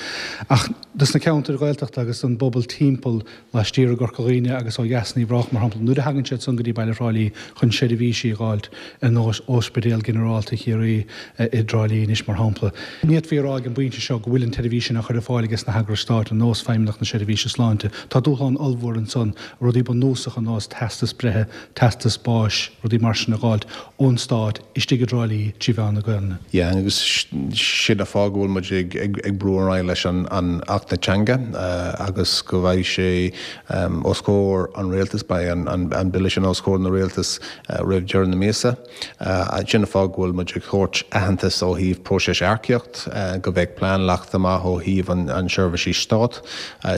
Ach dos na ceantair Ghaeltachta agus don bpobal timpeall laistiar i gCorca Dhuibhne agus ó dheas in Uíbh Ráthach, mar shampla, nuair a thagann siad san go dtí baile Thrá Lí chun seirbhísí a dh'fháilt ar nós Ospidéal Ginearálta Chiarraí i dTrá Lí anois, mar shampla. Ní fhéadfaí a rá ag an bpointe seo go bhfuil an tseirbhís sin á chur ar fáil ages na heagrais stáit ar nós Feidhmeannacht na Seirbhíse Sláinte. Tá dúshlán ollmhór ansan, rudaí bunúsacha ar nós teastas breithe, teastas báis, rudaí mar sin a dh'fháilt ón stát istigh i dTrá Lí trí mheán na Gaelainne. Yeah, agus sin an fáth go bhfuil muid ag ag brú ar aghaidh leis an an Acht na Teanga agus go mbeidh sé os comhair an rialtais, beidh mbeidh an Bille sin os comhair na Rialtas roimh deireadh na míosa. Sin an fáth go bhfuil muid ag tabhairt aitheantas ó thaobh próiseas earcaíocht, go mbeidh plean leagtha amach ó thaobh an seirbhísí Stát.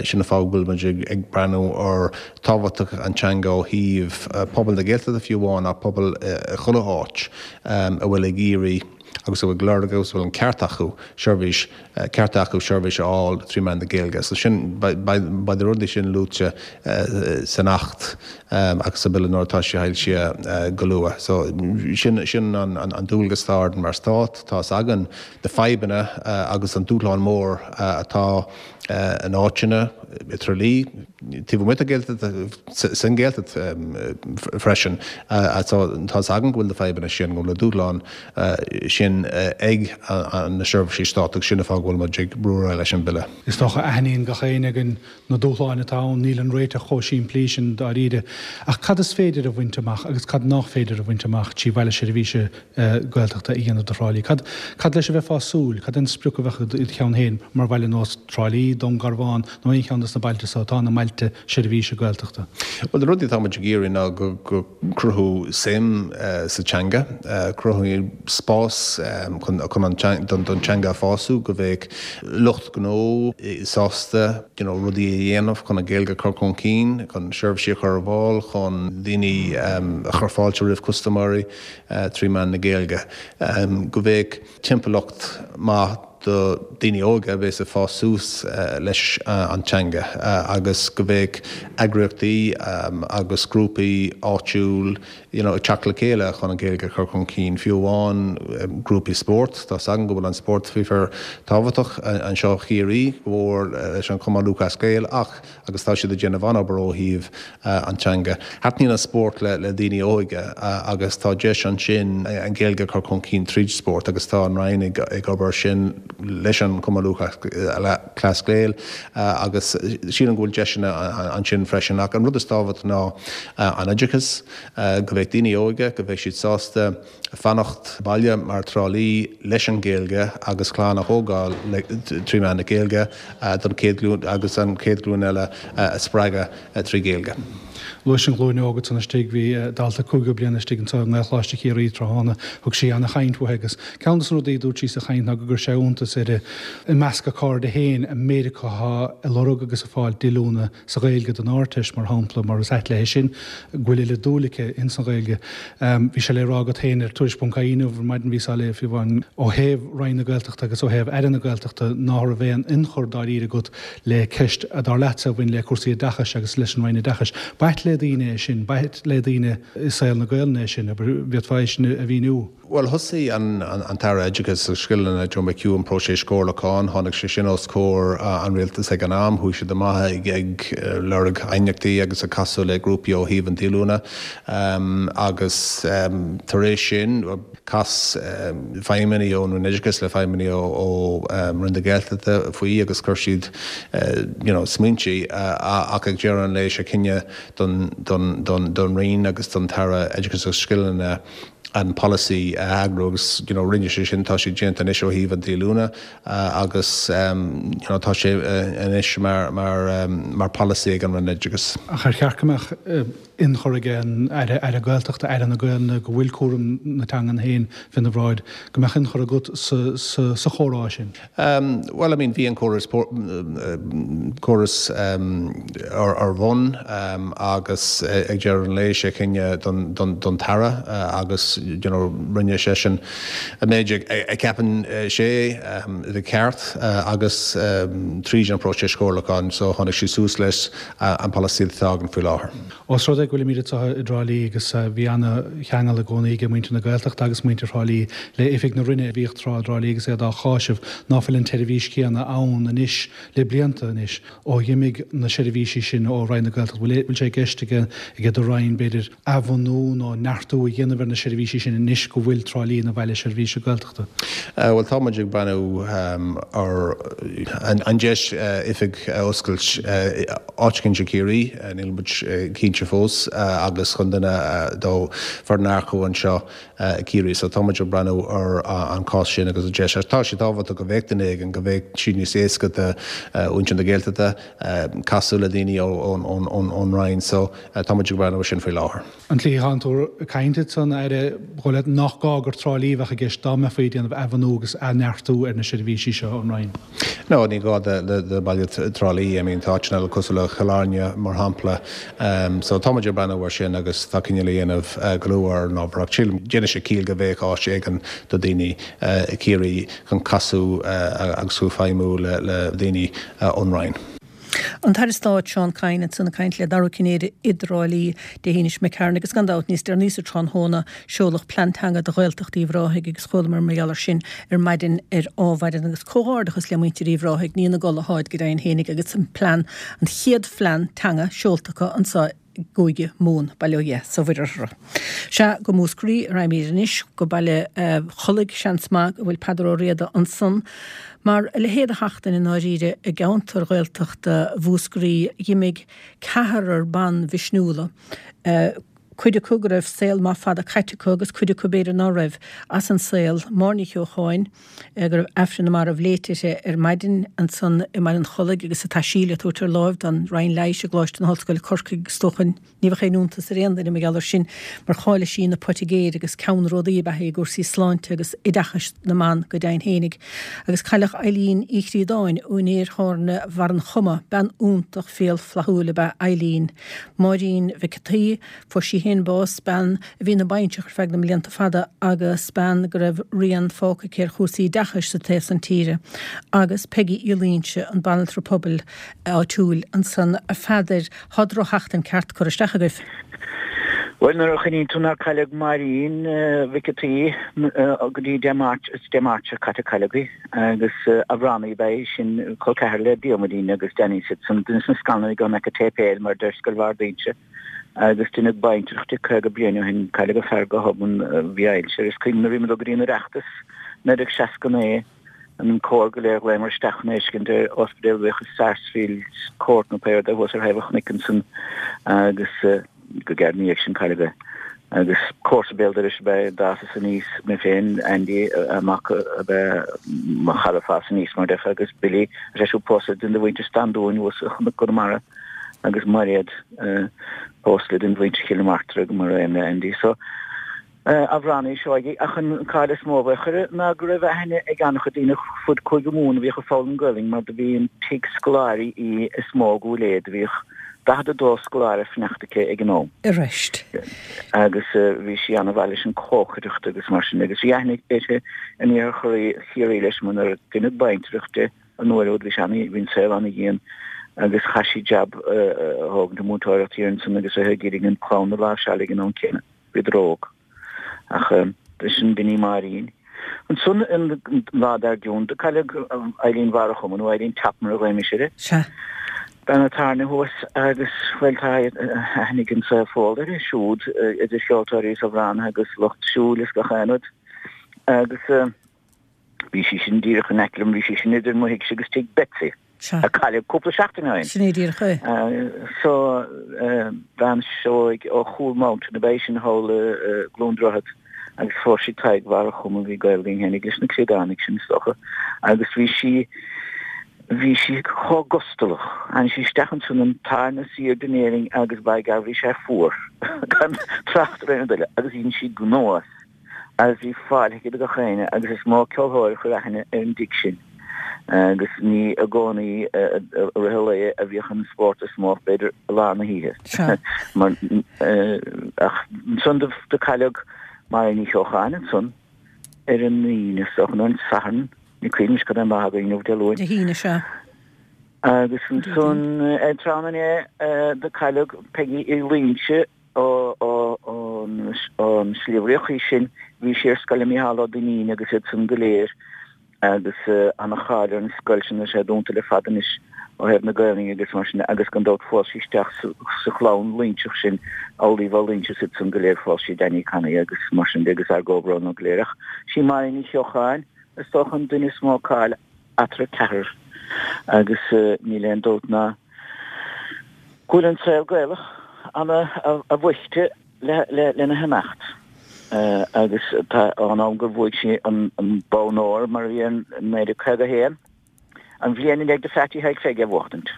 Sin an fáth go bhfuil muid ag breathnú ar tábhachtach an teanga ó thaobh pobal na Gaeltachta fiú amháin ach pobal i chuile áit a bhfuil ag iarraidh agus a bhfuil ag lorg agus a bhfuil an ceart acu seirbhís, ceart acu seirbhís a fháil trí mheán na Gaeilge. So sin, beidh na rudaí sin luaite san Acht agus sa Bille nuair atá sé foilsithe go luath. So sin, sin an dualgas atá orainn mar Stát. Tá fhios againn na fadhbanna agus an dúshlán mór atá in áiteanna i dTrá Lí, taobh amuigh den Ghaeltacht, san Ghaeltacht freisin. Tá fhios againn go bhfuil na fadhbanna sin, go bhfuil na dúshláin sin ag na seirbhísí stáit agus sin an fáth go bhfuil muid ag brú ar aghaidh leis an Bille. Is dócha, aithníonn gach éinne againn na dúshláin atá ann, níl an réiteach chomh simplí sin dáiríre. Ach cad is féidir a bhaint amach agus cad nach féidir a bhaint amach trí bhaile seirbhíse Gaeltachta a dhéanamh de Thrá Lí? Cad, cad leis a bheifeá ag súil? Cad é an sprioc a bheadh i do cheann féin mar bhaile nós Trá Lí, Dún Garbhán nó aon cheann de na bailte so atá ina mbailte seirbhíse Gaeltachta? Bhuel, na rudaí atá muid ag iarraidh ná go, go cruthú suim sa teanga, cruthú spás chun, chun an, don, don teanga a fású, go mbeadh lucht gnó sásta you know, rudaí a dhéanamh chun an Ghaeilge a chur chun cinn, chun seirbhísí a chur ar fáil, chun daoine a chur fáilte roimh custaiméirí trí mheán na Gaeilge. Go mbeadh timpeallacht maith do daoine óga a bheas ag fás suas leis an teanga agus go mbeadh eagraíochtaí agus grúpaí áitiúil you know, ag teacht le chéile chun an Ghaeilge a chur chun cinn, fiú amháin grúpaí spóirt. Tá 's againn go bhfuil an spórt fíor tábhachtach anseo Chiarraí, go mór leis an Chumann Lúthchleas Gael ach agus tá siad ag déanamh an-obair ó thaobh an teanga. Taitníonn an spórt le le daoine óga agus tá deis ansin an Ghaeilge a chur chun cinn tríd spórt agus tá an Roinn ag ag obair sin leis an Chumann Lúthchleas Gael agus sílim go bhfuil deiseanna ansin freisin. Ach an rud is tábhachtaí ná an oideachas, go mbeidh daoine óga, go mbeidh siad sásta fanacht baile mar Trá Lí leis an Ghaeilge agus clann a thógáil trí mheán na Gaeilge don chéad ghlúin agus an chéad ghlúin eile a spreagadh trí Ghaeilge. Luais an ghlúin óg ansan istigh, bhí dalta cúigiú bliana istigh anseo i nGaelcholáiste Chiarraí tráthnóna, thug sí ana-chaint uaithi agus ceann de na rudaí a dúirt sí sa chaint ná go gcuir sé iontas uirthi i measc a cairde féin an méid acu atá ag lorg agus ag fáil díolúine sa Ghaeilge don Ardteist mar shampla mar is ait léi sin go bhfuil oiread dúil aici ins an Ghaeilge. Bhí sé le rá agat féin ar Tuairisc ponc ie inniu ar maidin bhíos á léamh fiú amháin ó thaobh Roinn na Gaeltachta agus ó thaobh Aire na Gaeltachta ná raibh aon ionchur dáiríre agat le ceist a dar leatsa a bhain le cúrsaí oideachais agus leis an Roinn Oideachais. B'ait le daoine é sin, b'ait le daoine i saol na Gaelainne é sin, abair, bhféadfá é sin a mhíniú? Bhuel, thosaigh an tAire Oideachais agus Scileanna, Joe McHugh, an próiseas comhairliúcháin. Tháinig sé sin os comhair an Rialtais ag an am. Chuaigh siad amach ag lorg aighneachtaí agus ag casadh le grúpaí ó thaobh an díolúine agus tar éis sin, Chas feidhmeannaigh ón Roinn Oideachais le feidhmeannaigh ó Roinn na Gaeltachta faoi agus chuir siad you know smaointe ach ag deireadh an lae sé cinneadh don don don don Roinn agus don tAire Oideachais agus Scileanna an polasaí a eagrú agus you know rinne sé sin, tá sé déanta anois ó thaobh an díolúine agus you know tá sé anois mar mar mar polasaí ag an Roinn Oideachais. Ach ar cheart go mbeadh ionchur ag an Aire, Aire Gaeltachta, Aire na Gaelainne, go bhfuil cúram na teangan féin féna bhráid, go mbeadh ionchur agat sa chomhrá sin? Bhuel, I mean, bhí an córas, córas ar bun agus ag deireadh an lae sé cinneadh don, don, don tAire agus, you know, rinne seisean an méid a cheapann sé a bheith ceart agus tríd an próiseas comhairliúcháin so tháinig sé suas leis an polasaí atá againn faoi láthair. Ós rud é go bhfuilimid anseo i dTrá Lí agus bhí ana-cheangal i gcónaí ag muintir na Gaeltachta agus muintir Thrá Lí le oifig na Roinne a bhíodh tráth i dTrá Lí agus iad á cháiseamh ná fuil an tseirbhís chéanna ann anois le blianta anois ó dh'imigh na seirbhísí sin ó Roinn na Gaeltachta. Bhfuil sé i gceist ag do Roinn b'fhéidir athbhunú nó neartú a dhéanamh ar na seirbhísí seirbhísí sin anois go bhfuil Trá Lí ina bhaile seirbhíse Gaeltachta? Bhuel, tá muid ag breathnú ar an deis oifig a oscailt áit éicint i Ciarraí, níl muid cinnte fós, agus chun duine do foireann a earcú anseo i Ciarraí. So tá muid ag breathnú ar an cás sin agus an deis. Tá sé tábhachtach go mbeadh duine éigin, go mbeadh sé níos éasca do mhuintir na Gaeltachta casadh le daoine ón Roinn. So tá muid ag breathnú ar sin faoi láthair. An tslí atánn tú ag caint ansan, a Aire, ba dhóigh leat nach gá gur Trá Lí a bheadh i gceist dá mbeifí ag déanamh athbhunú agus athneartú ar na seirbhísí seo ón Roinn? No, ní gá do baile Trá Lí. I mean, tá áiteanna eile cosúil le Cill Airne, mar shampla. So tá muid ag breathnú ar sin agus tá cinneadh le dhéanamh go luath ar an ábhar. Ach sílim, déanfaidh sé ciall go mbeadh áit éigin do daoine i Ciarraí chun casadh agus chun feidhmiú le daoine ón Roinn. An tAire Stáit Seán Kyne ansan ag caint le Dara Ó Cinnéide i dTrá Lí Dé hAoine seo imigh tharainn agus gan dabht níos deireanaí sa tráthnóna seoladh plean teanga do Ghaeltacht Uíbh Ráthaigh agus chualamar mar gheall air sin ar maidin ar Adhmhaidin agus comhghairdeachas le muintir Uíbh Ráthaigh, ní ina gcodladh atáid go deimhin fhéinig agus an plean, an chéad phlean teanga seolta acu anseo i gCúige Mumhan, bail ó Dhia 's ó Mhuire orthu. Sea, go Múscraí a raghaimid anois, go Baile Chollaigh, seans maith go bhfuil Peadar Ó Riada ansan. Mar le héad a sheachtain i ndáiríre i gceantar Ghaeltachta Mhúscraí, dh'imigh ceathrar ban mhisniúla, cuid acu go raibh saol maith fada caite acu agus cuid acu b'fhéidir ná raibh, as an saol, Máire Ní Cheocháin, go raibh Aifreann na Marbh léite uirthi ar maidin ansan i mBaile an Chollaigh agus a taisí le tabhairt ar láimh don Roinn Leighis i gColáiste na hOllscoile Corcaigh is dócha. Ní bheadh aon iontas ar aon duine mar gheall air sin mar cháiligh sí ina poitigéir agus ceannródaí ab ea í i gcúrsaí sláinte agus oideachais na mban go deimhin fhéinig. Agus cailleadh Eileen Uí Chríodáin, úinéir thábhairne Bharr an Choma, bean iontach fial flaithiúil ab ea Eileen. Máirín Mhic an tSaoi, fuair sí féin bás, bean a bhí ina baintreach ar feadh na mblianta fada agus bean go raibh rian fágtha aici ar chúrsaí oideachais sa taobh san tíre. Agus Peigí Uí Loingsigh, an banaltra pobail áitiúil ansan. A Pheadair, Thá drochsheachtain ceart curtha isteach agaibh. Bhuel, nuair a chuimhníonn tú nár cailleadh Máirín Mhic an tSaoi go dtí Dé Máirt, is Dé Máirt seo caite a cailleadh í, agus amhránaí ab ea í sin, col ceathar le Diarmuidín agus Danny is iad san, duine de na scanraí gan aice téipéil mar a deir Scoil Bharr d'Inse, agus deineadh baintreach di caoga bliain ó shin, cailleadh a fear go hobann, bhí ailse air. Is cuimhin nuair a bhí muid ag dul go dtí an Oireachtas, naoi déag seasca naoi, an cór go léir ghlaomar isteach chun é a fheiscint ar ospidéal a bhíodh i Sarsfield Court nó pé rud é thuas ar thaobh an chnoic ansan agus go gearr ina dhiaidh sin cailleadh é. Agus comharsa béal dorais ab ea é, d'fhásas aníos mé féin, Andy, a mac ab ea mo chara fás aníos mar déarfá agus Billy, tá sé siúd pósta le duine de mhuintir Standúin thuas i gCnoc Chonamara agus Mairéad pósta le duine de mhuintir Chill na Martra mar aon le Andy. So, amhránaí seoigh, ach an cáil is mó a bheadh uirthi ná go raibh aithne ag an-chuid daoine fud Cúige Mumhan a bhíodh ag foghlaim Gaelainn mar do bhí an tigh scoláirí í is mó i gCúil Aodha, do bhíodh daichead a dó scoláire ag fanacht aici ag an am. Arís. Agus bhí sí an-mhaith leis an chócaireacht agus mar sin agus bhí aithne uirthi in iarthar Chiarraí leis mar nuair a deineadh baintreach di an uair úd bhí sé ana, bhí an saol ana-dhian agus chaith sí jab a thógaint i múinteoireacht thiar ansan agus a ag iarraidh an clann a láimhseáil ag an am céanna. Bhíodar óg. Ach sin b'in í Máirín. Ansan an lá dár gcionn do cailleadh Eileen Bharr a' Choma nó Eileen Tap mar a ghlaoimis uirthi. Sea. Bean an tábhairne thuas agus, bhuel, tá aithne ag an saol fóill uirthi siúd, idir cheoltóirí is amhránaithe agus lucht siúil is gach aon rud. Agus bhí sí sin díreach in aice liom, bhí sí sin idir mo thighse agus tigh Betsy. Sea. A cailleadh cúpla seachtain ó shin. Sin é díreach é. So, bean Seoighe ó Chúl Mountain ab ea í sin thall i gCluain Droichead agus phós sí Tadhg Bharr a' Choma, bhí gaol linn fhéinig leis na Críodánaigh sin is dócha, agus bhí sí, bhí sí chomh gustalach. Tháinig sí isteach ansan an tarna suí den Éirinn agus by gar bhí sé fuar, gan trácht ar aon rud eile, agus dhein sí gnó as. Agus bhí fáilte aici do gach éinne agus is mó ceolthóir a chuir aithne ar an dtigh sin agus ní i gcónaí i rith an lae a bhíodh an spórt is mó ach b'fhéidir i lár na hoíche. Mar ach ansan do cailleadh Máirín Ní Cheocháin ansan ar an Aoine is dócha nó an Satharn, ní cuimhin anois cad é an lá againn inniu, Dé Luain. Dé hAoine, sea. Agus ansan ar tráthnóna inné do cailleadh Peigí Uí Loingsigh Ón Sliabh Riach í sin. Bhí sí ar scoil le Mícheál Ó Duinnín agus iad san go léir agus ana-cháil ar an scoil sin, tá sé dúnta le fada anois ó thaobh na Gaelainne agus mar sin agus gan dabht phós sí isteach sa chlann Loinseach sin, Amhlaoibh Ó Loingsigh is iad san go léir phós sí Danny Connie agus mar sin de agus ár gcomhbhrón leo go léir. Ach sí Máirín Ní Cheocháin is dócha an duine is mó cáil eatarthu ceathrar agus níl aon dabht ná go bhfuil an saol Gaelach ana a bhoichte lena himeacht agus tá an am gur bhuaigh sí an bonn óir mar a bhí in naoi déag caoga a haon. An bhliain i ndiaidh do Pheaití Thaidhg Pheig é bhuachtaint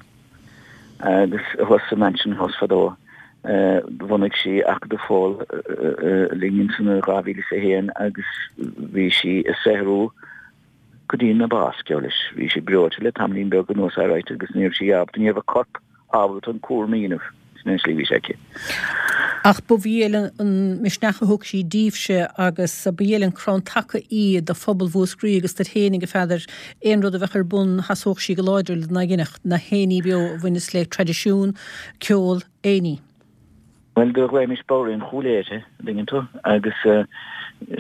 agus thuas sa Mansion House fadó bhunaigh sí Acadamh Fódhla linn ansan i dhá mhíle is a haon agus bhí sí ag saothrú go dtí na bás, geall leis. Bhí sí breoite le tamaillín beag anuas alright agus ní raibh sí ábalta, ní raibh a corp ábalta an cúram a dhéanamh. Sin é an tslí a bhí sé aici. Ach ba dhiail an misneach a thug sí díbhse agus ba dhiail an crann taca í do phobal Mhúscraí agus duit fhéinig, a Pheadair. Aon rud a bheadh ar bun sheasódh sí go láidir lena ghinfeadh na haon ní beo a bhaineas le traidisiún, ceol, aon ní. Bhuel, do ghlaoimis Bodhraí an Chúil Ae uirthi, an dtuigeann tú, agus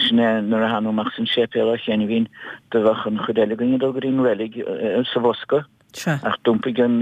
sin é nuair a thánag amach as an séipéal á chianaibhín do bheadh an chuid eile againn ag dul go dtí an reilig sa bhfoscadh. Sea. Ach d'iompaigh an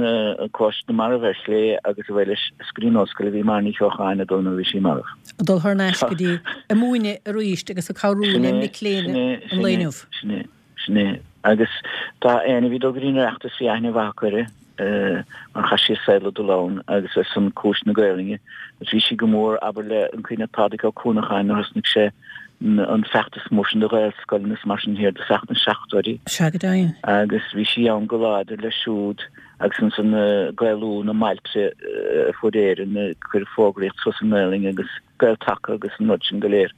cóiste na marbh ar chlé agus away leis is go dtí an ollscoil a bhí Máire Ní Cheocháin ag dul nuair a bhí sí marbh. Ag dul thar n-ais go dtí ag múineadh arís agus ag cabhrú Sin le é, mic léinn sin é, an lae sin é, inniu. sin é, sin é. Agus tá éinne a bhí ag dul go dtí an Oireachtas bhí aithne mhaith acu uirthi mar chaith sí a saol ag dul ann agus ar son cúis na Gaelainne agus bhí sí go mór, abair le, an cuimhin leat Pádraig Ó Cuanacháin nuair a thosnaigh sé an feachtas mór sin do Ghaelscoileanna is mar sin thiar i dtosach na seachtóidí. Sea, go deimhin. Agus bhí sí ann go láidir leis siúd agus ansan Gaelú na mbailte ar fud Éireann, ag cur fógraíocht suas i nGaelainn agus Gael-Taca agus an rud sin go léir.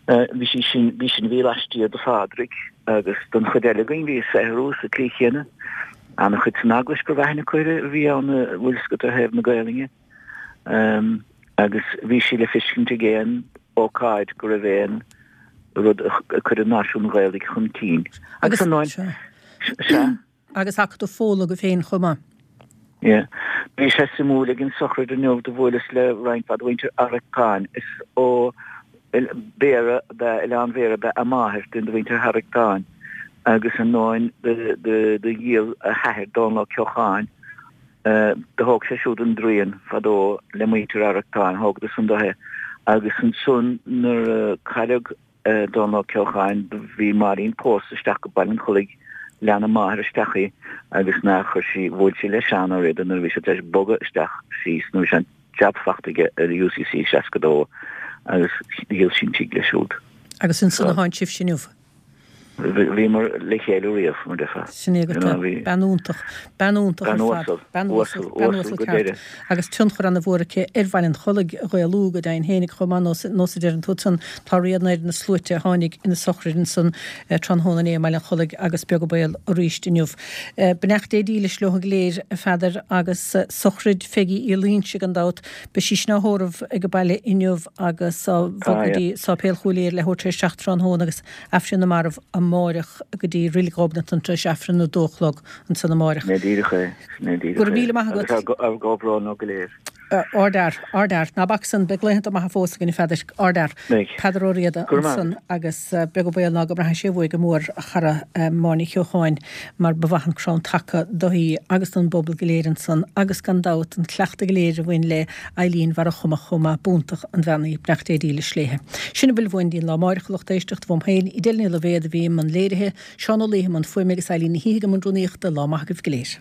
Bhí sí sin, bhí sin a bhí laistiar de Phádraig agus don chuid eile againn bhí ag saothrú sa tslí chéanna. Ana-chuid san Eaglais go raibh aithne acu uirthi a bhí ann a bhfuil 'fhios agat ar thaobh na Gaelainne. Agus bhí sí le feiscint ag aon ócáid go raibh aon rud ag cur an náisiúin Ghaelaigh chun cinn. Agus Agus an sea. Sea. Agus Acadamh Fódhla agaibh féin chomh maith. Yeah. Bhí sé suimiúil ag an sochraid inniu do bhuaileas le roinnt mhaith de mhuintir Arractáin. Is ó Bhéarra ab ea, Oileán Bhéarra ab ea a máthair, duine de mhuintir Arractáin, agus ar ndóin do dhíol a hathair Dónal Ó Ceocháin, Do thóg sé siúd an draoin fadó le muintir Arractáin, thógadar san do é agus ansan nuair a cailleadh Dónal Ó Ceocháin do bhí Máirín pósta isteach go Baile an Chollaigh, lean a máthair isteach í agus nár chuir sí, bhuail sí le Seán Ó Riada nuair a bhí sé tar éis bogadh isteach síos nuair a bhí sé an jab fachta aige ar UCC seasca dó agus dhíol sí an tigh leis siúd. Agus ansan a tháin sibhse inniu. Bhíomar le chéile riamh, mar déarfá. Sin é agat é. Bean iontach. Bean iontach ar Bean fad. uasal. Bean uasal. Uasal, Bean uasal uasal go ceart. deireadh. Agus tionchar ana mhór aici ar Bhaile an Chollaigh a Ghaelú go deimhin fhéinig chomh maith nós nós a deireann tú ansan. Tá rian ar na sluaite a tháinig ina sochraid ansan tráthnóna inné i mBaile an Chollaigh agus beag an baol arís inniu. Beannacht Dé dílis leo go léir, a Pheadair, agus sochraid Pheigí Uí Loingsigh gan dabht. Beidh sí sin á thórramh ag an baile inniu agus á bhogadh go dtí Sáipéal Chúil Aodha le huair tar éis seacht tráthnóna agus Aifreann na Marbh amáireach go dtí Reilig Ghobnatan tar éis Aifreann a dó a chlog ansan amáireach. Sin é díreach é, sin é díreach Go raibh é. míle maith Agus agat. ár gcomhbhrón leo go léir. Ardfhear, ardfhear. Ná bac san, beidh laethanta maithe fós againn a Pheadair. Ardfhear. Beidh. Peadar Ó Riada Go raibh maith ansan agat. agus beag an baol ná go mbraithfidh sé uaidh go mór a chara Máire Ní Cheocháin mar ba mhaith an crann taca do í agus don bpobal go léir ansan agus gan dabht an cleachtadh go léir a bhain le Eileen Bharra Chumach chomh maith. B'iontach an bhean í. Beannacht Dé dílis léithe. Sin a bhfuil uainn dtí'n lá amáireach a lucht éisteachta uaim féin, Edel Ní Loibhéad a bhí i mbun léirithe, Seán Ó Laoithe i mbun fuaime agus Eileen Ní Shíthigh i mbun rúnaíochta. Lá maith agaibh go léir.